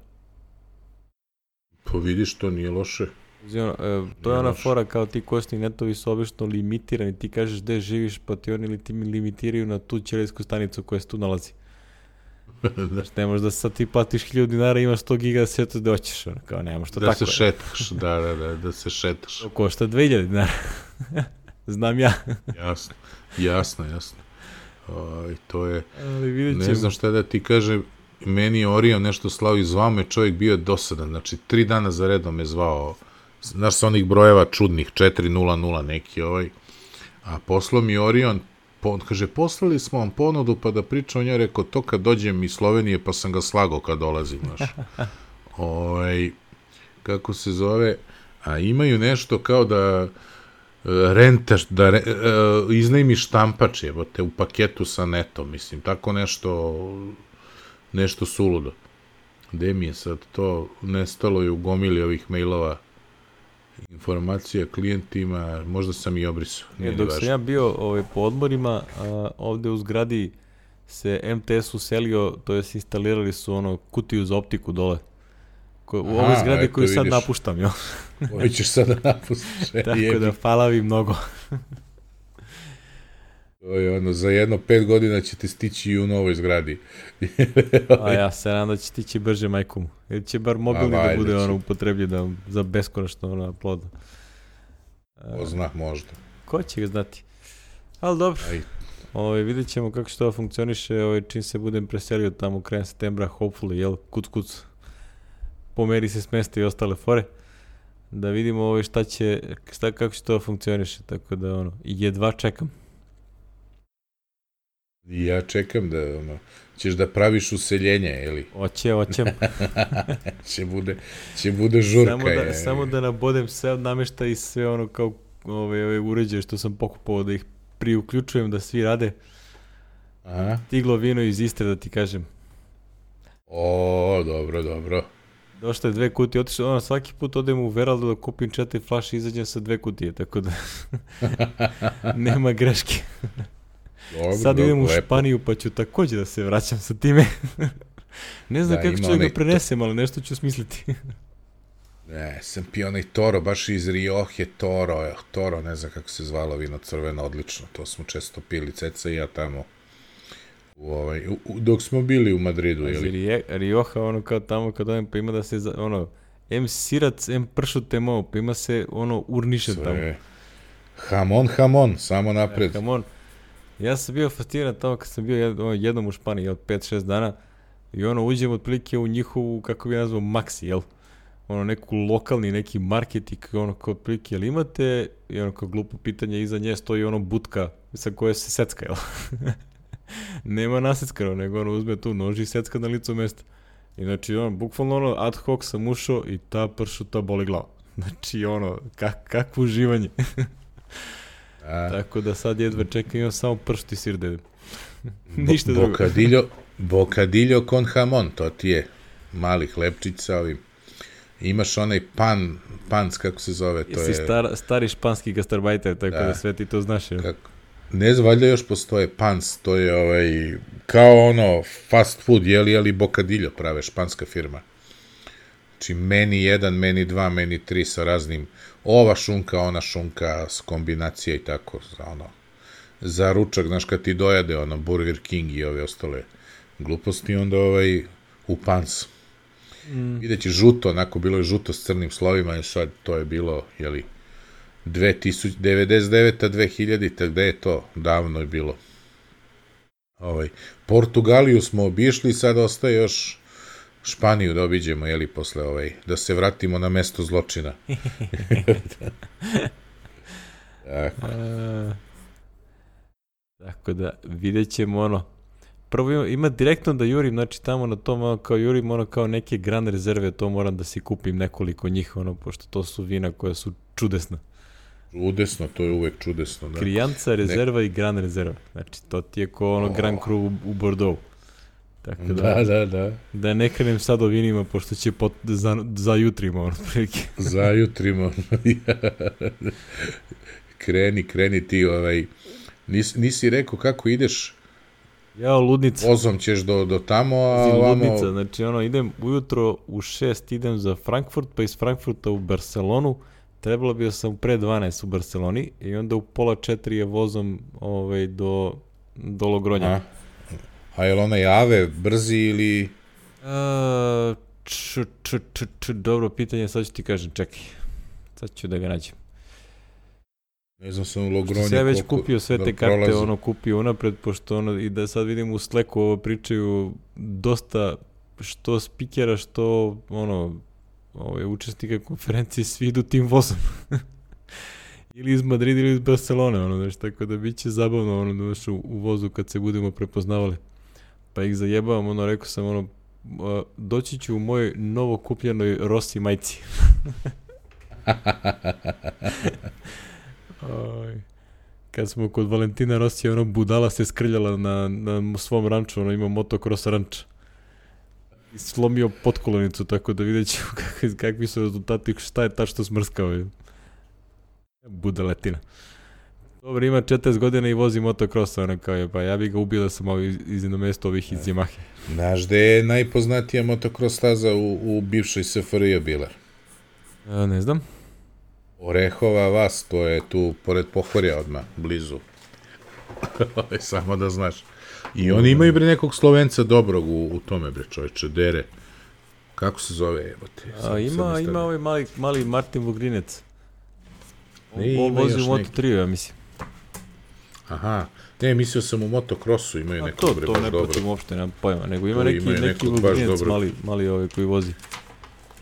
Speaker 1: Pa vidiš, to nije loše.
Speaker 2: Ono, e, to je ona fora kao ti kosni netovi su obično limitirani, ti kažeš gde živiš pa ti oni li ti limitiraju na tu ćelijsku stanicu koja se tu nalazi. Znači ne možeš da sad ti platiš hiljadu dinara i imaš sto giga da se to da hoćeš, ono, kao nemaš to
Speaker 1: da
Speaker 2: tako.
Speaker 1: Da se šetaš, da, da, da, da se šetaš.
Speaker 2: To košta dve hiljade dinara, znam ja.
Speaker 1: Jasno, jasno, jasno. O, to je,
Speaker 2: ali vidjet ćemo.
Speaker 1: Ne znam šta da ti kažem, meni je Orion nešto slao i zvao me čovjek, bio je dosadan, znači tri dana za redom me zvao, znaš sa onih brojeva čudnih, četiri nula nula neki ovaj, a poslao mi Orion, on kaže, poslali smo vam ponudu pa da pričam o njoj, rekao, to kad dođem iz Slovenije pa sam ga slagao kad dolazim, znaš. Ovaj, kako se zove, a imaju nešto kao da rentaš, da re, uh, iznajmiš štampač, evo te, u paketu sa netom, mislim, tako nešto, nešto suludo. Gde mi je sad to, nestalo je u gomili ovih mailova, informacija klijentima, možda sam i obrisao.
Speaker 2: E, dok sam ja bio ovaj, po odmorima, a, ovde u zgradi se M T S uselio, to jest instalirali su ono kutiju za optiku dole. Ko, u Aha, ovoj zgradi koju sad vidiš. Napuštam, jel?
Speaker 1: Ovo ćeš sad da napustiš.
Speaker 2: Tako jebi. Da, hvala vi mnogo.
Speaker 1: To je ono, za jedno pet godina ćete stići i u novoj zgradi.
Speaker 2: A ja se nadam da će stići brže majkom. Ili će bar mobilni da bude ono upotrebljen da, za beskonačno ono ploda.
Speaker 1: Ko zna, možda.
Speaker 2: Ko će ga znati? Ali dobro. Ovaj, vidjet ćemo kako će to funkcioniše ovaj, čim se budem preselio tamo krajem septembra, hopefully, jel, kuc kuc. Pomeri se smesta i ostale fore. Da vidimo ovaj, šta će, šta, kako će to funkcioniše. Tako da, ono, jedva čekam.
Speaker 1: Ja čekam da, ono, ćeš da praviš useljenje, ili?
Speaker 2: Oće, oćem.
Speaker 1: će bude, će bude žurka.
Speaker 2: Samo da,
Speaker 1: je.
Speaker 2: samo da nabodem sve od namešta i sve ono kao ove, ove uređaje što sam pokupovao da ih priuključujem da svi rade.
Speaker 1: Aha.
Speaker 2: Stiglo vino iz Istre, da ti kažem.
Speaker 1: O, dobro, dobro.
Speaker 2: Došlo je dve kutije, otišao, ono, svaki put odem u Veraldu da kupim četiri flaše i izađem sa dve kutije, tako da nema greške.
Speaker 1: Dobro,
Speaker 2: sad idem
Speaker 1: dobro,
Speaker 2: u Španiju pa ću također da se vraćam sa time. Ne znam da, kako ću da ga prenesem, ali nešto ću smisliti.
Speaker 1: Ne, sam pio onaj Toro, baš iz Rioje Toro, Toro, ne znam kako se zvalo vino, crveno, odlično, to smo često pili, Ceca i ja tamo, u ovaj, u, u, dok smo bili u Madridu,
Speaker 2: ili? Rioja, ono kao tamo kad odem, pa ima da se, ono, em sirac, em pršut, em ovo, pa ima se, ono, urnišen tamo.
Speaker 1: Hamon, hamon, samo napred.
Speaker 2: Ja, hamon. Ja sam bio fasciniran tamo kad sam bio jed, ono, jednom u Španiji, od pet šest dana, i ono, uđem otprilike u njihovu, kako bi nazvao, Maxi, jel? Ono, neku lokalni, neki market i ono, kao otprilike, jel imate, i ono, kao glupo pitanje, iza nje stoji ono butka sa koje se secka, jel? Nema naseckano, nego ono, uzme tu nož i secka na licu mesta. I znači, ono, bukvalno ono, ad hoc sam ušao i ta pršuta boli glava. Znači, ono, kak, kakvo uživanje. A... Tako da sad jedva čekam, imam samo pršut i sir da jedem. Ništa drugo.
Speaker 1: Bocadillo, bocadillo con jamon, to ti je mali hlebčić sa ovim. Imaš onaj pan, pans, kako se zove, to
Speaker 2: Jesi
Speaker 1: je...
Speaker 2: Star, stari španski gastarbajter, tako da, da sve ti to znaš.
Speaker 1: Kako? Ne znam, valjda još postoje pans, to je ovaj, kao ono fast food, jeli, jeli bocadillo prave, španska firma. Znači, meni jedan, meni dva, meni tri sa raznim, ova šunka, ona šunka, s kombinacija i tako, za ono, za ručak, znaš, kad ti dojade, ono, Burger King i ove ostale gluposti, onda ovaj, u pans. Mm. Videći žuto, onako, bilo je žuto s crnim slovima i sad to je bilo, jeli, devedeset deveta dve hiljadita, gde je to? Davno je bilo. Ovaj, Portugaliju smo obišli, sad ostaje još Španiju da obiđemo, jeli, posle ovaj, da se vratimo na mesto zločina. Tako.
Speaker 2: A, tako da, vidjet ćemo ono, prvo ima, ima direktno da jurim, znači tamo na tom, ono, kao jurim, ono, kao neke Gran rezerve, to moram da si kupim nekoliko njih, ono, pošto to su vina koja su čudesna.
Speaker 1: Čudesno, to je uvek čudesno. Da.
Speaker 2: Krijanca rezerva ne... i Gran rezerva. Znači, to ti je ko ono oh. Grand Cru u, u Bordeaux. Tako da,
Speaker 1: da, da, da.
Speaker 2: Da ne krenem sad o vinima, pošto će pot, za, za jutrimo, ono, prilike.
Speaker 1: Za jutrimo. kreni, kreni ti, ovaj, nis, nisi rekao kako ideš.
Speaker 2: Ja, ludnica.
Speaker 1: Vozom ćeš do, do tamo, a
Speaker 2: Zim,
Speaker 1: ovamo...
Speaker 2: Ludnica, znači, ono, idem ujutro u šest, idem za Frankfurt, pa iz Frankfurta u Barcelonu, trebalo bio sam pre dvanaest u Barceloni i onda u pola četiri je vozom ovaj, do, do Logronja.
Speaker 1: A, a je li onaj Ave brzi ili...
Speaker 2: A, č, č, č, č, dobro pitanje, sad ću ti kažem, čekaj. Sad ću da ga nađem.
Speaker 1: Ne znam sam u Logronje
Speaker 2: Što ja već
Speaker 1: koliko,
Speaker 2: kupio sve
Speaker 1: da
Speaker 2: te karte,
Speaker 1: prolazi.
Speaker 2: ono kupio unapred, pošto ono, i da sad vidim u Slacku ovo pričaju dosta što spikera, što ono, ove, učesnika konferencije, svi idu tim vozom. Ili iz Madrida ili iz Barcelone, ono, znaš, tako da bit će zabavno, ono, znaš, u, u vozu kad se budemo prepoznavali. Pa ih zajebavam, ono, rekao sam, ono, a, doći ću u mojoj novo kupljenoj Rossi majci. Oj. Kad smo kod Valentina Rosija, ono, budala se skrljala na, na svom ranču, ono, ima motocross ranč. I slomio potkolonicu, tako da vidjet ćemo kak, kakvi su rezultati, šta je tačno smrskao. Je. Budaletina. Dobro, ima četrdeset godina i vozi motocross, ono kao je, pa ja bih ga ubio da sam ovi, iz namesto ovih iz Yamahe.
Speaker 1: Znaš gde je najpoznatija motocross staza u, u bivšoj S F R J bila?
Speaker 2: A, ne znam.
Speaker 1: Orehova vas, to je tu pored Pohorja odmah, blizu. Samo da znaš. I oni imaju bre nekog Slovenca dobrog u, u tome bre čovječe, Dere. Kako se zove, jebote?
Speaker 2: A, ima, ima ovaj mali, mali Martin Vugrinec. On,
Speaker 1: Ne,
Speaker 2: on
Speaker 1: ima
Speaker 2: vozi
Speaker 1: još
Speaker 2: u Moto
Speaker 1: neki.
Speaker 2: tri, ja mislim.
Speaker 1: Aha, ne, mislio sam u motocrossu imaju
Speaker 2: A
Speaker 1: nekog
Speaker 2: to,
Speaker 1: bre
Speaker 2: to
Speaker 1: baš
Speaker 2: ne
Speaker 1: dobro.
Speaker 2: pratim uopšte, nemam pojma, nego ima
Speaker 1: To
Speaker 2: neki,
Speaker 1: imaju
Speaker 2: neki
Speaker 1: nekog baš
Speaker 2: Vugrinec,
Speaker 1: dobro.
Speaker 2: mali, mali ovaj koji vozi.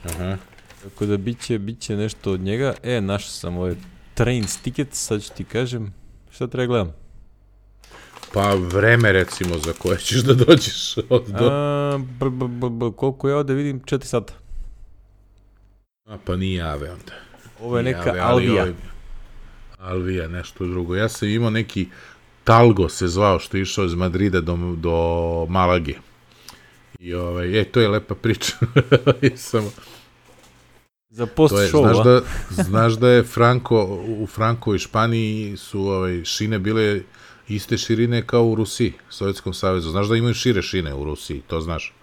Speaker 1: Aha.
Speaker 2: Tako da biće, biće nešto od njega. E, našao sam ovaj Trains ticket, sad ću ti kažem. Šta treba gledam?
Speaker 1: Pa vreme recimo za koje ćeš da dođeš od do...
Speaker 2: A, br, br, br, br, koliko ja ovde vidim? četiri sata.
Speaker 1: A pa nije Ave onda.
Speaker 2: Ovo je
Speaker 1: Nije
Speaker 2: neka
Speaker 1: Ave, ali
Speaker 2: Alvija.
Speaker 1: ovaj- Alvija, nešto drugo. Ja sam imao neki Talgo se zvao što je išao iz Madrida do, do Malage. I ovaj, e, to je lepa priča. I sam,
Speaker 2: Za post
Speaker 1: to je,
Speaker 2: show,
Speaker 1: znaš,
Speaker 2: a?
Speaker 1: da, znaš da je Franko, u Franko i Španiji su ovaj, šine bile iste širine kao u Rusiji, Sovjetskom savezu. Znaš da imaju šire šine u Rusiji, to znaš.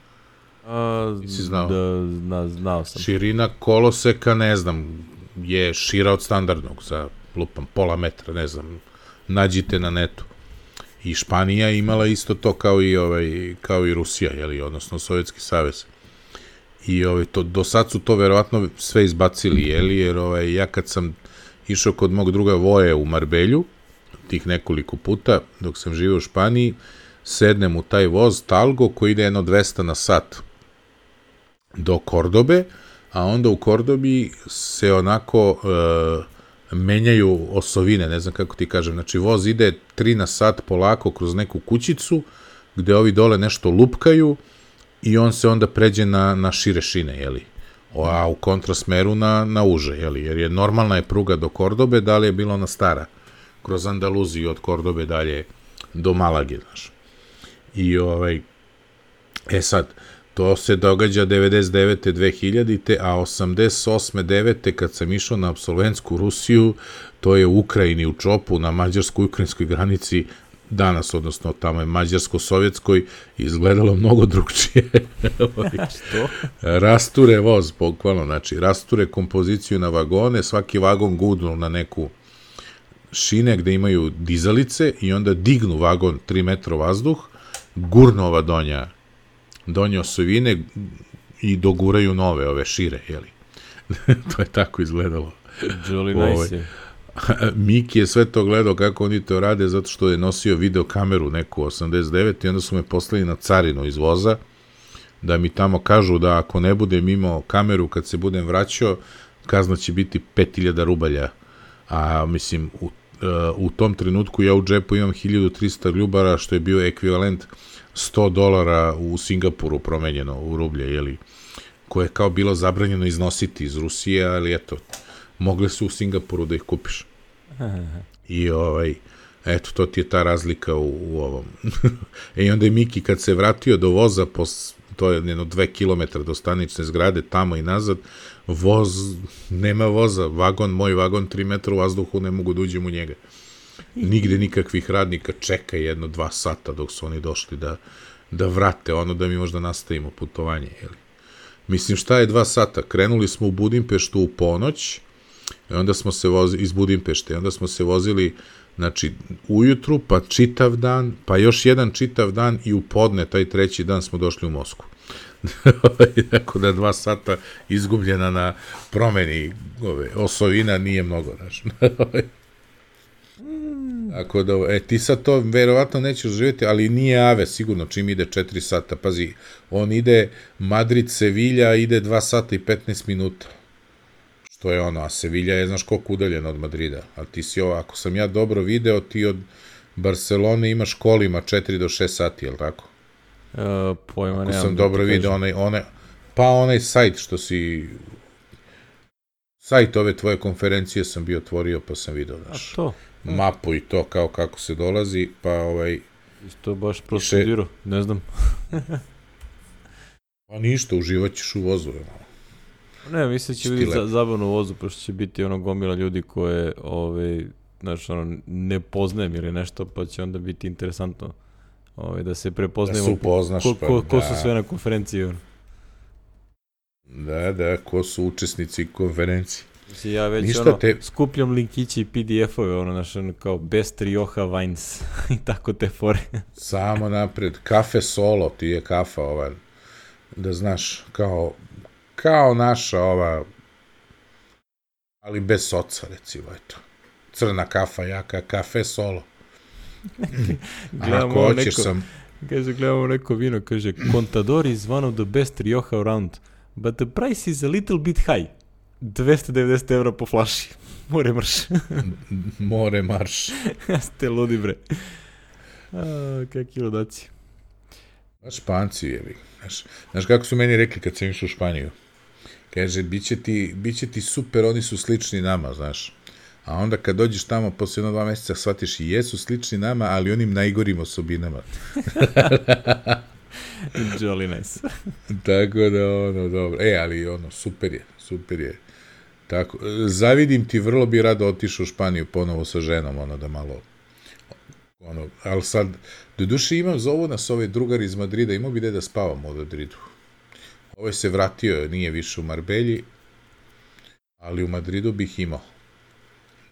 Speaker 2: A,
Speaker 1: Nisi znao?
Speaker 2: Da, zna, znao sam.
Speaker 1: Širina koloseka, ne znam, je šira od standardnog, za lupam pola metra, ne znam, nađite na netu. I Španija je imala isto to kao i ovaj kao i Rusija, je li, odnosno Sovjetski savez. I ovaj to do sad su to verovatno sve izbacili, je li, jer ovaj ja kad sam išao kod mog druga Voje u Marbelju tih nekoliko puta dok sam živio u Španiji, sednem u taj voz Talgo koji ide jedno dvesta na sat do Kordobe, a onda u Kordobi se onako e, menjaju osovine, ne znam kako ti kažem, znači voz ide tri na sat polako kroz neku kućicu, gde ovi dole nešto lupkaju i on se onda pređe na, na šire šine, jeli? A u kontrasmeru na, na uže, jeli? Jer je normalna je pruga do Kordobe, da li je bilo ona stara, kroz Andaluziju od Kordobe dalje do Malage, znaš. I ovaj, e sad, to se događa devedeset devete dve hiljadite a osamdeset osme devete kad sam išao na apsolventsku Rusiju, to je u Ukrajini, u Čopu, na mađarsko-ukrajinskoj granici, danas, odnosno tamo je mađarsko-sovjetskoj, izgledalo mnogo drugčije.
Speaker 2: Što?
Speaker 1: Rasture voz, bukvalno, znači, rasture kompoziciju na vagone, svaki vagon gudnu na neku šine gde imaju dizalice i onda dignu vagon tri metra vazduh, gurnu ova donja donje osovine i doguraju nove, ove šire, jeli? To je tako izgledalo.
Speaker 2: Jolly nice je.
Speaker 1: Miki je sve to gledao kako oni to rade zato što je nosio videokameru neku osamdeset devete i onda su me poslali na carinu iz voza da mi tamo kažu da ako ne budem imao kameru kad se budem vraćao, kazna će biti pet hiljada rubalja. A mislim, u, u tom trenutku ja u džepu imam hiljadu trista ljubara, što je bio ekvivalent sto dolara u Singapuru promenjeno u rublje, jeli, koje je kao bilo zabranjeno iznositi iz Rusije, ali eto, mogle su u Singapuru da ih kupiš. I ovaj, eto, to ti je ta razlika u, u ovom. E i onda je Miki kad se vratio do voza, pos, to je jedno dve kilometra do stanične zgrade, tamo i nazad, voz, nema voza, vagon, moj vagon, tri metra u vazduhu, ne mogu da uđem u njega. Nigde nikakvih radnika, čeka jedno dva sata dok su oni došli da, da vrate ono da mi možda nastavimo putovanje, jeli. Mislim, šta je dva sata? Krenuli smo u Budimpeštu u ponoć I onda smo se vozili, iz Budimpešte, i onda smo se vozili, znači, ujutru, pa čitav dan, pa još jedan čitav dan i u podne, taj treći dan smo došli u Moskvu. Tako da dva sata izgubljena na promeni ove, osovina nije mnogo, znaš. Tako da, e, ti sad to verovatno nećeš živjeti, ali nije Ave, sigurno, čim ide četiri sata. Pazi, on ide Madrid-Sevilja, ide dva sata i petnaest minuta. Što je ono, a Sevilja je, znaš, koliko udaljena od Madrida. A ti si ovo, ako sam ja dobro video, ti od Barcelone imaš kolima četiri do šest sati, je li tako?
Speaker 2: Uh, pojma,
Speaker 1: ako
Speaker 2: nemam
Speaker 1: sam
Speaker 2: da
Speaker 1: dobro
Speaker 2: ti
Speaker 1: video, onaj, onaj, pa onaj sajt što si... Sajt ove tvoje konferencije sam bio otvorio, pa sam video, znaš.
Speaker 2: A to?
Speaker 1: Mapu i to, kao kako se dolazi, pa ovaj...
Speaker 2: Isto baš prostudirao, ne znam.
Speaker 1: Pa ništa, uživat ćeš u vozu.
Speaker 2: Ne, mislim da će biti za, zabavno u vozu, pošto će biti ono gomila ljudi koje, ovaj, znaš, ono, ne poznajem ili nešto, pa će onda biti interesantno ovaj, da se prepoznajemo.
Speaker 1: Da se upoznaš,
Speaker 2: ko, ko, ko
Speaker 1: pa,
Speaker 2: su sve na konferenciji. Ono.
Speaker 1: Da, da, ko su učesnici konferencije.
Speaker 2: Mislim, ja već
Speaker 1: Ništa
Speaker 2: ono,
Speaker 1: te...
Speaker 2: skupljam linkići i P D F-ove, ono, znaš, ono, kao Best Rioja Wines i tako te fore.
Speaker 1: Samo napred, kafe solo, ti je kafa ova, da znaš, kao, kao naša ova, ali bez soca, recimo, eto. Crna kafa, jaka, kafe solo.
Speaker 2: Ako hoćeš neko, sam... Kaže, gledamo neko vino, kaže, Contador is one of the best Rioja around, but the price is a little bit high. dvesta devedeset evra po flaši. More marš.
Speaker 1: More marš.
Speaker 2: Ste ludi, bre. A, kakvi ludaci.
Speaker 1: Španci, jevi. Znaš, znaš kako su meni rekli kad sam išao u Španiju? Kaže, bit će ti, bit će ti super, oni su slični nama, znaš. A onda kad dođeš tamo, posle jedno dva mjeseca, shvatiš i jesu slični nama, ali onim najgorim osobinama.
Speaker 2: Jolly nice.
Speaker 1: Tako da, ono, dobro. E, ali, ono, super je, super je. Tako, zavidim ti, vrlo bi rado otišao u Španiju ponovo sa ženom, ono, da malo, ono, ali sad, do duše imam, zovu nas ovaj drugar iz Madrida, imao bi gde da spavam u Madridu. Ovaj se vratio, nije više u Marbelji, ali u Madridu bih imao.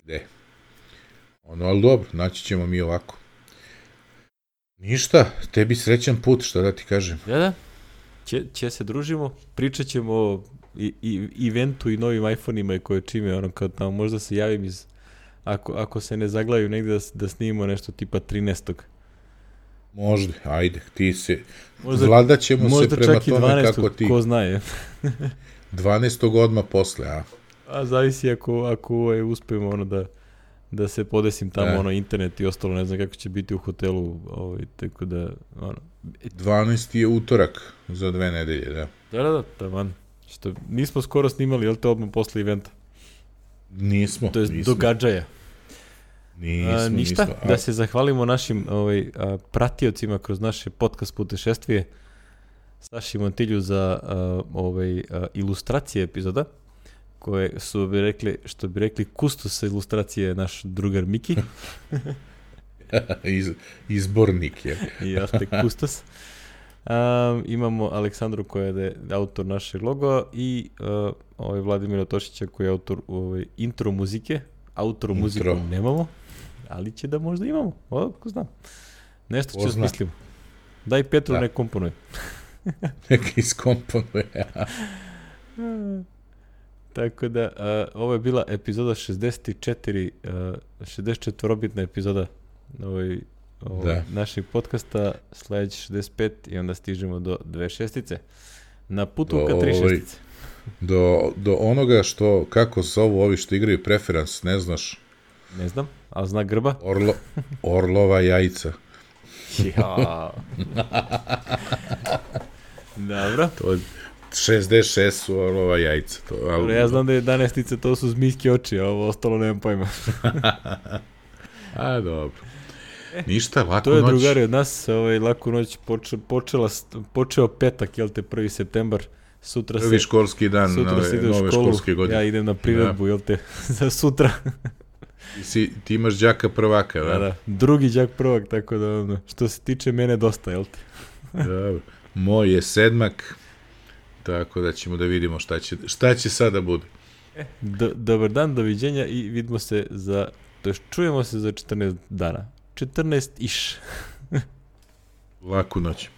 Speaker 1: Gde? Ono, ali dobro, naći ćemo mi ovako. Ništa, tebi srećan put, šta da ti kažem.
Speaker 2: Da, da, će, će se družimo, pričat ćemo o i, i, eventu i novim iPhone-ima koje čime, ono, kao tamo možda se javim iz, ako, ako se ne zaglavim negde da, da snimimo nešto tipa trinaestog.
Speaker 1: Možda, ajde, ti se, možda, vladat ćemo se prema tome kako ti.
Speaker 2: Ko zna je.
Speaker 1: dvanaestog odmah posle, a?
Speaker 2: A zavisi ako, ako ovaj, uspijemo ono da, da se podesim tamo, e. ono, internet i ostalo, ne znam kako će biti u hotelu, ovaj, tako da, ono.
Speaker 1: dvanaesti je utorak za dve nedelje, da.
Speaker 2: Da, da, da, taman. Što nismo skoro snimali, jel te odmah posle eventa?
Speaker 1: Nismo,
Speaker 2: to je
Speaker 1: nismo.
Speaker 2: Događaja.
Speaker 1: Nismo,
Speaker 2: a, ništa,
Speaker 1: nismo. A...
Speaker 2: da se zahvalimo našim ovaj, a, pratiocima kroz naše podcast putešestvije, Saši Montilju za a, ovaj, a, ilustracije epizoda, koje su bi rekli, što bi rekli, kustos ilustracije je naš drugar Miki.
Speaker 1: Iz, izbornik je.
Speaker 2: I jeste kustos. Um, imamo Aleksandru koja je autor našeg loga i uh, ovaj Vladimira Tošića koji je autor ovaj, intro muzike. Autor intro. Muziku nemamo, ali će da možda imamo. O, ko znam. Nešto će smislimo. Daj Petru da. Nek komponuje.
Speaker 1: Nek iskomponuje.
Speaker 2: Tako da, uh, ovo je bila epizoda šezdeset četiri, uh, šezdeset četvorobitna epizoda ovaj, ovaj, našeg podcasta, sledeći šezdeset pet i onda stižemo do dve šestice. Na putu do, ka tri šestice.
Speaker 1: Do, do onoga što, kako zovu ovi što igraju preferans, ne znaš?
Speaker 2: Ne znam, ali zna Grba?
Speaker 1: Orlo, orlova jajca.
Speaker 2: Ja. Dobro.
Speaker 1: To je šezdeset šest su orlova jajca. To, ali...
Speaker 2: Dobro, ja znam da je jedanaestice, to su zmijske oči, a ovo ostalo nemam pojma.
Speaker 1: A, dobro. Ništa, laku noć.
Speaker 2: To je noć. Drugari od nas, ovaj, laku noć poče, počela, počeo petak, jel te, prvi septembar. Sutra
Speaker 1: prvi
Speaker 2: se,
Speaker 1: školski dan
Speaker 2: sutra
Speaker 1: nove,
Speaker 2: se ide u
Speaker 1: nove
Speaker 2: školu,
Speaker 1: školske godine.
Speaker 2: Ja idem na priredbu, jel te, za sutra.
Speaker 1: Ti, si, ti imaš đaka prvaka, da?
Speaker 2: Da, da, drugi đak prvak, tako da, ono, što se tiče mene dosta, jel te?
Speaker 1: Dobro. Moj je sedmak, tako da ćemo da vidimo šta će, šta će sada bude.
Speaker 2: Do, dobar dan, doviđenja i vidimo se za, to jest čujemo se za četrnaest dana. četrnaest iš.
Speaker 1: Laku noć.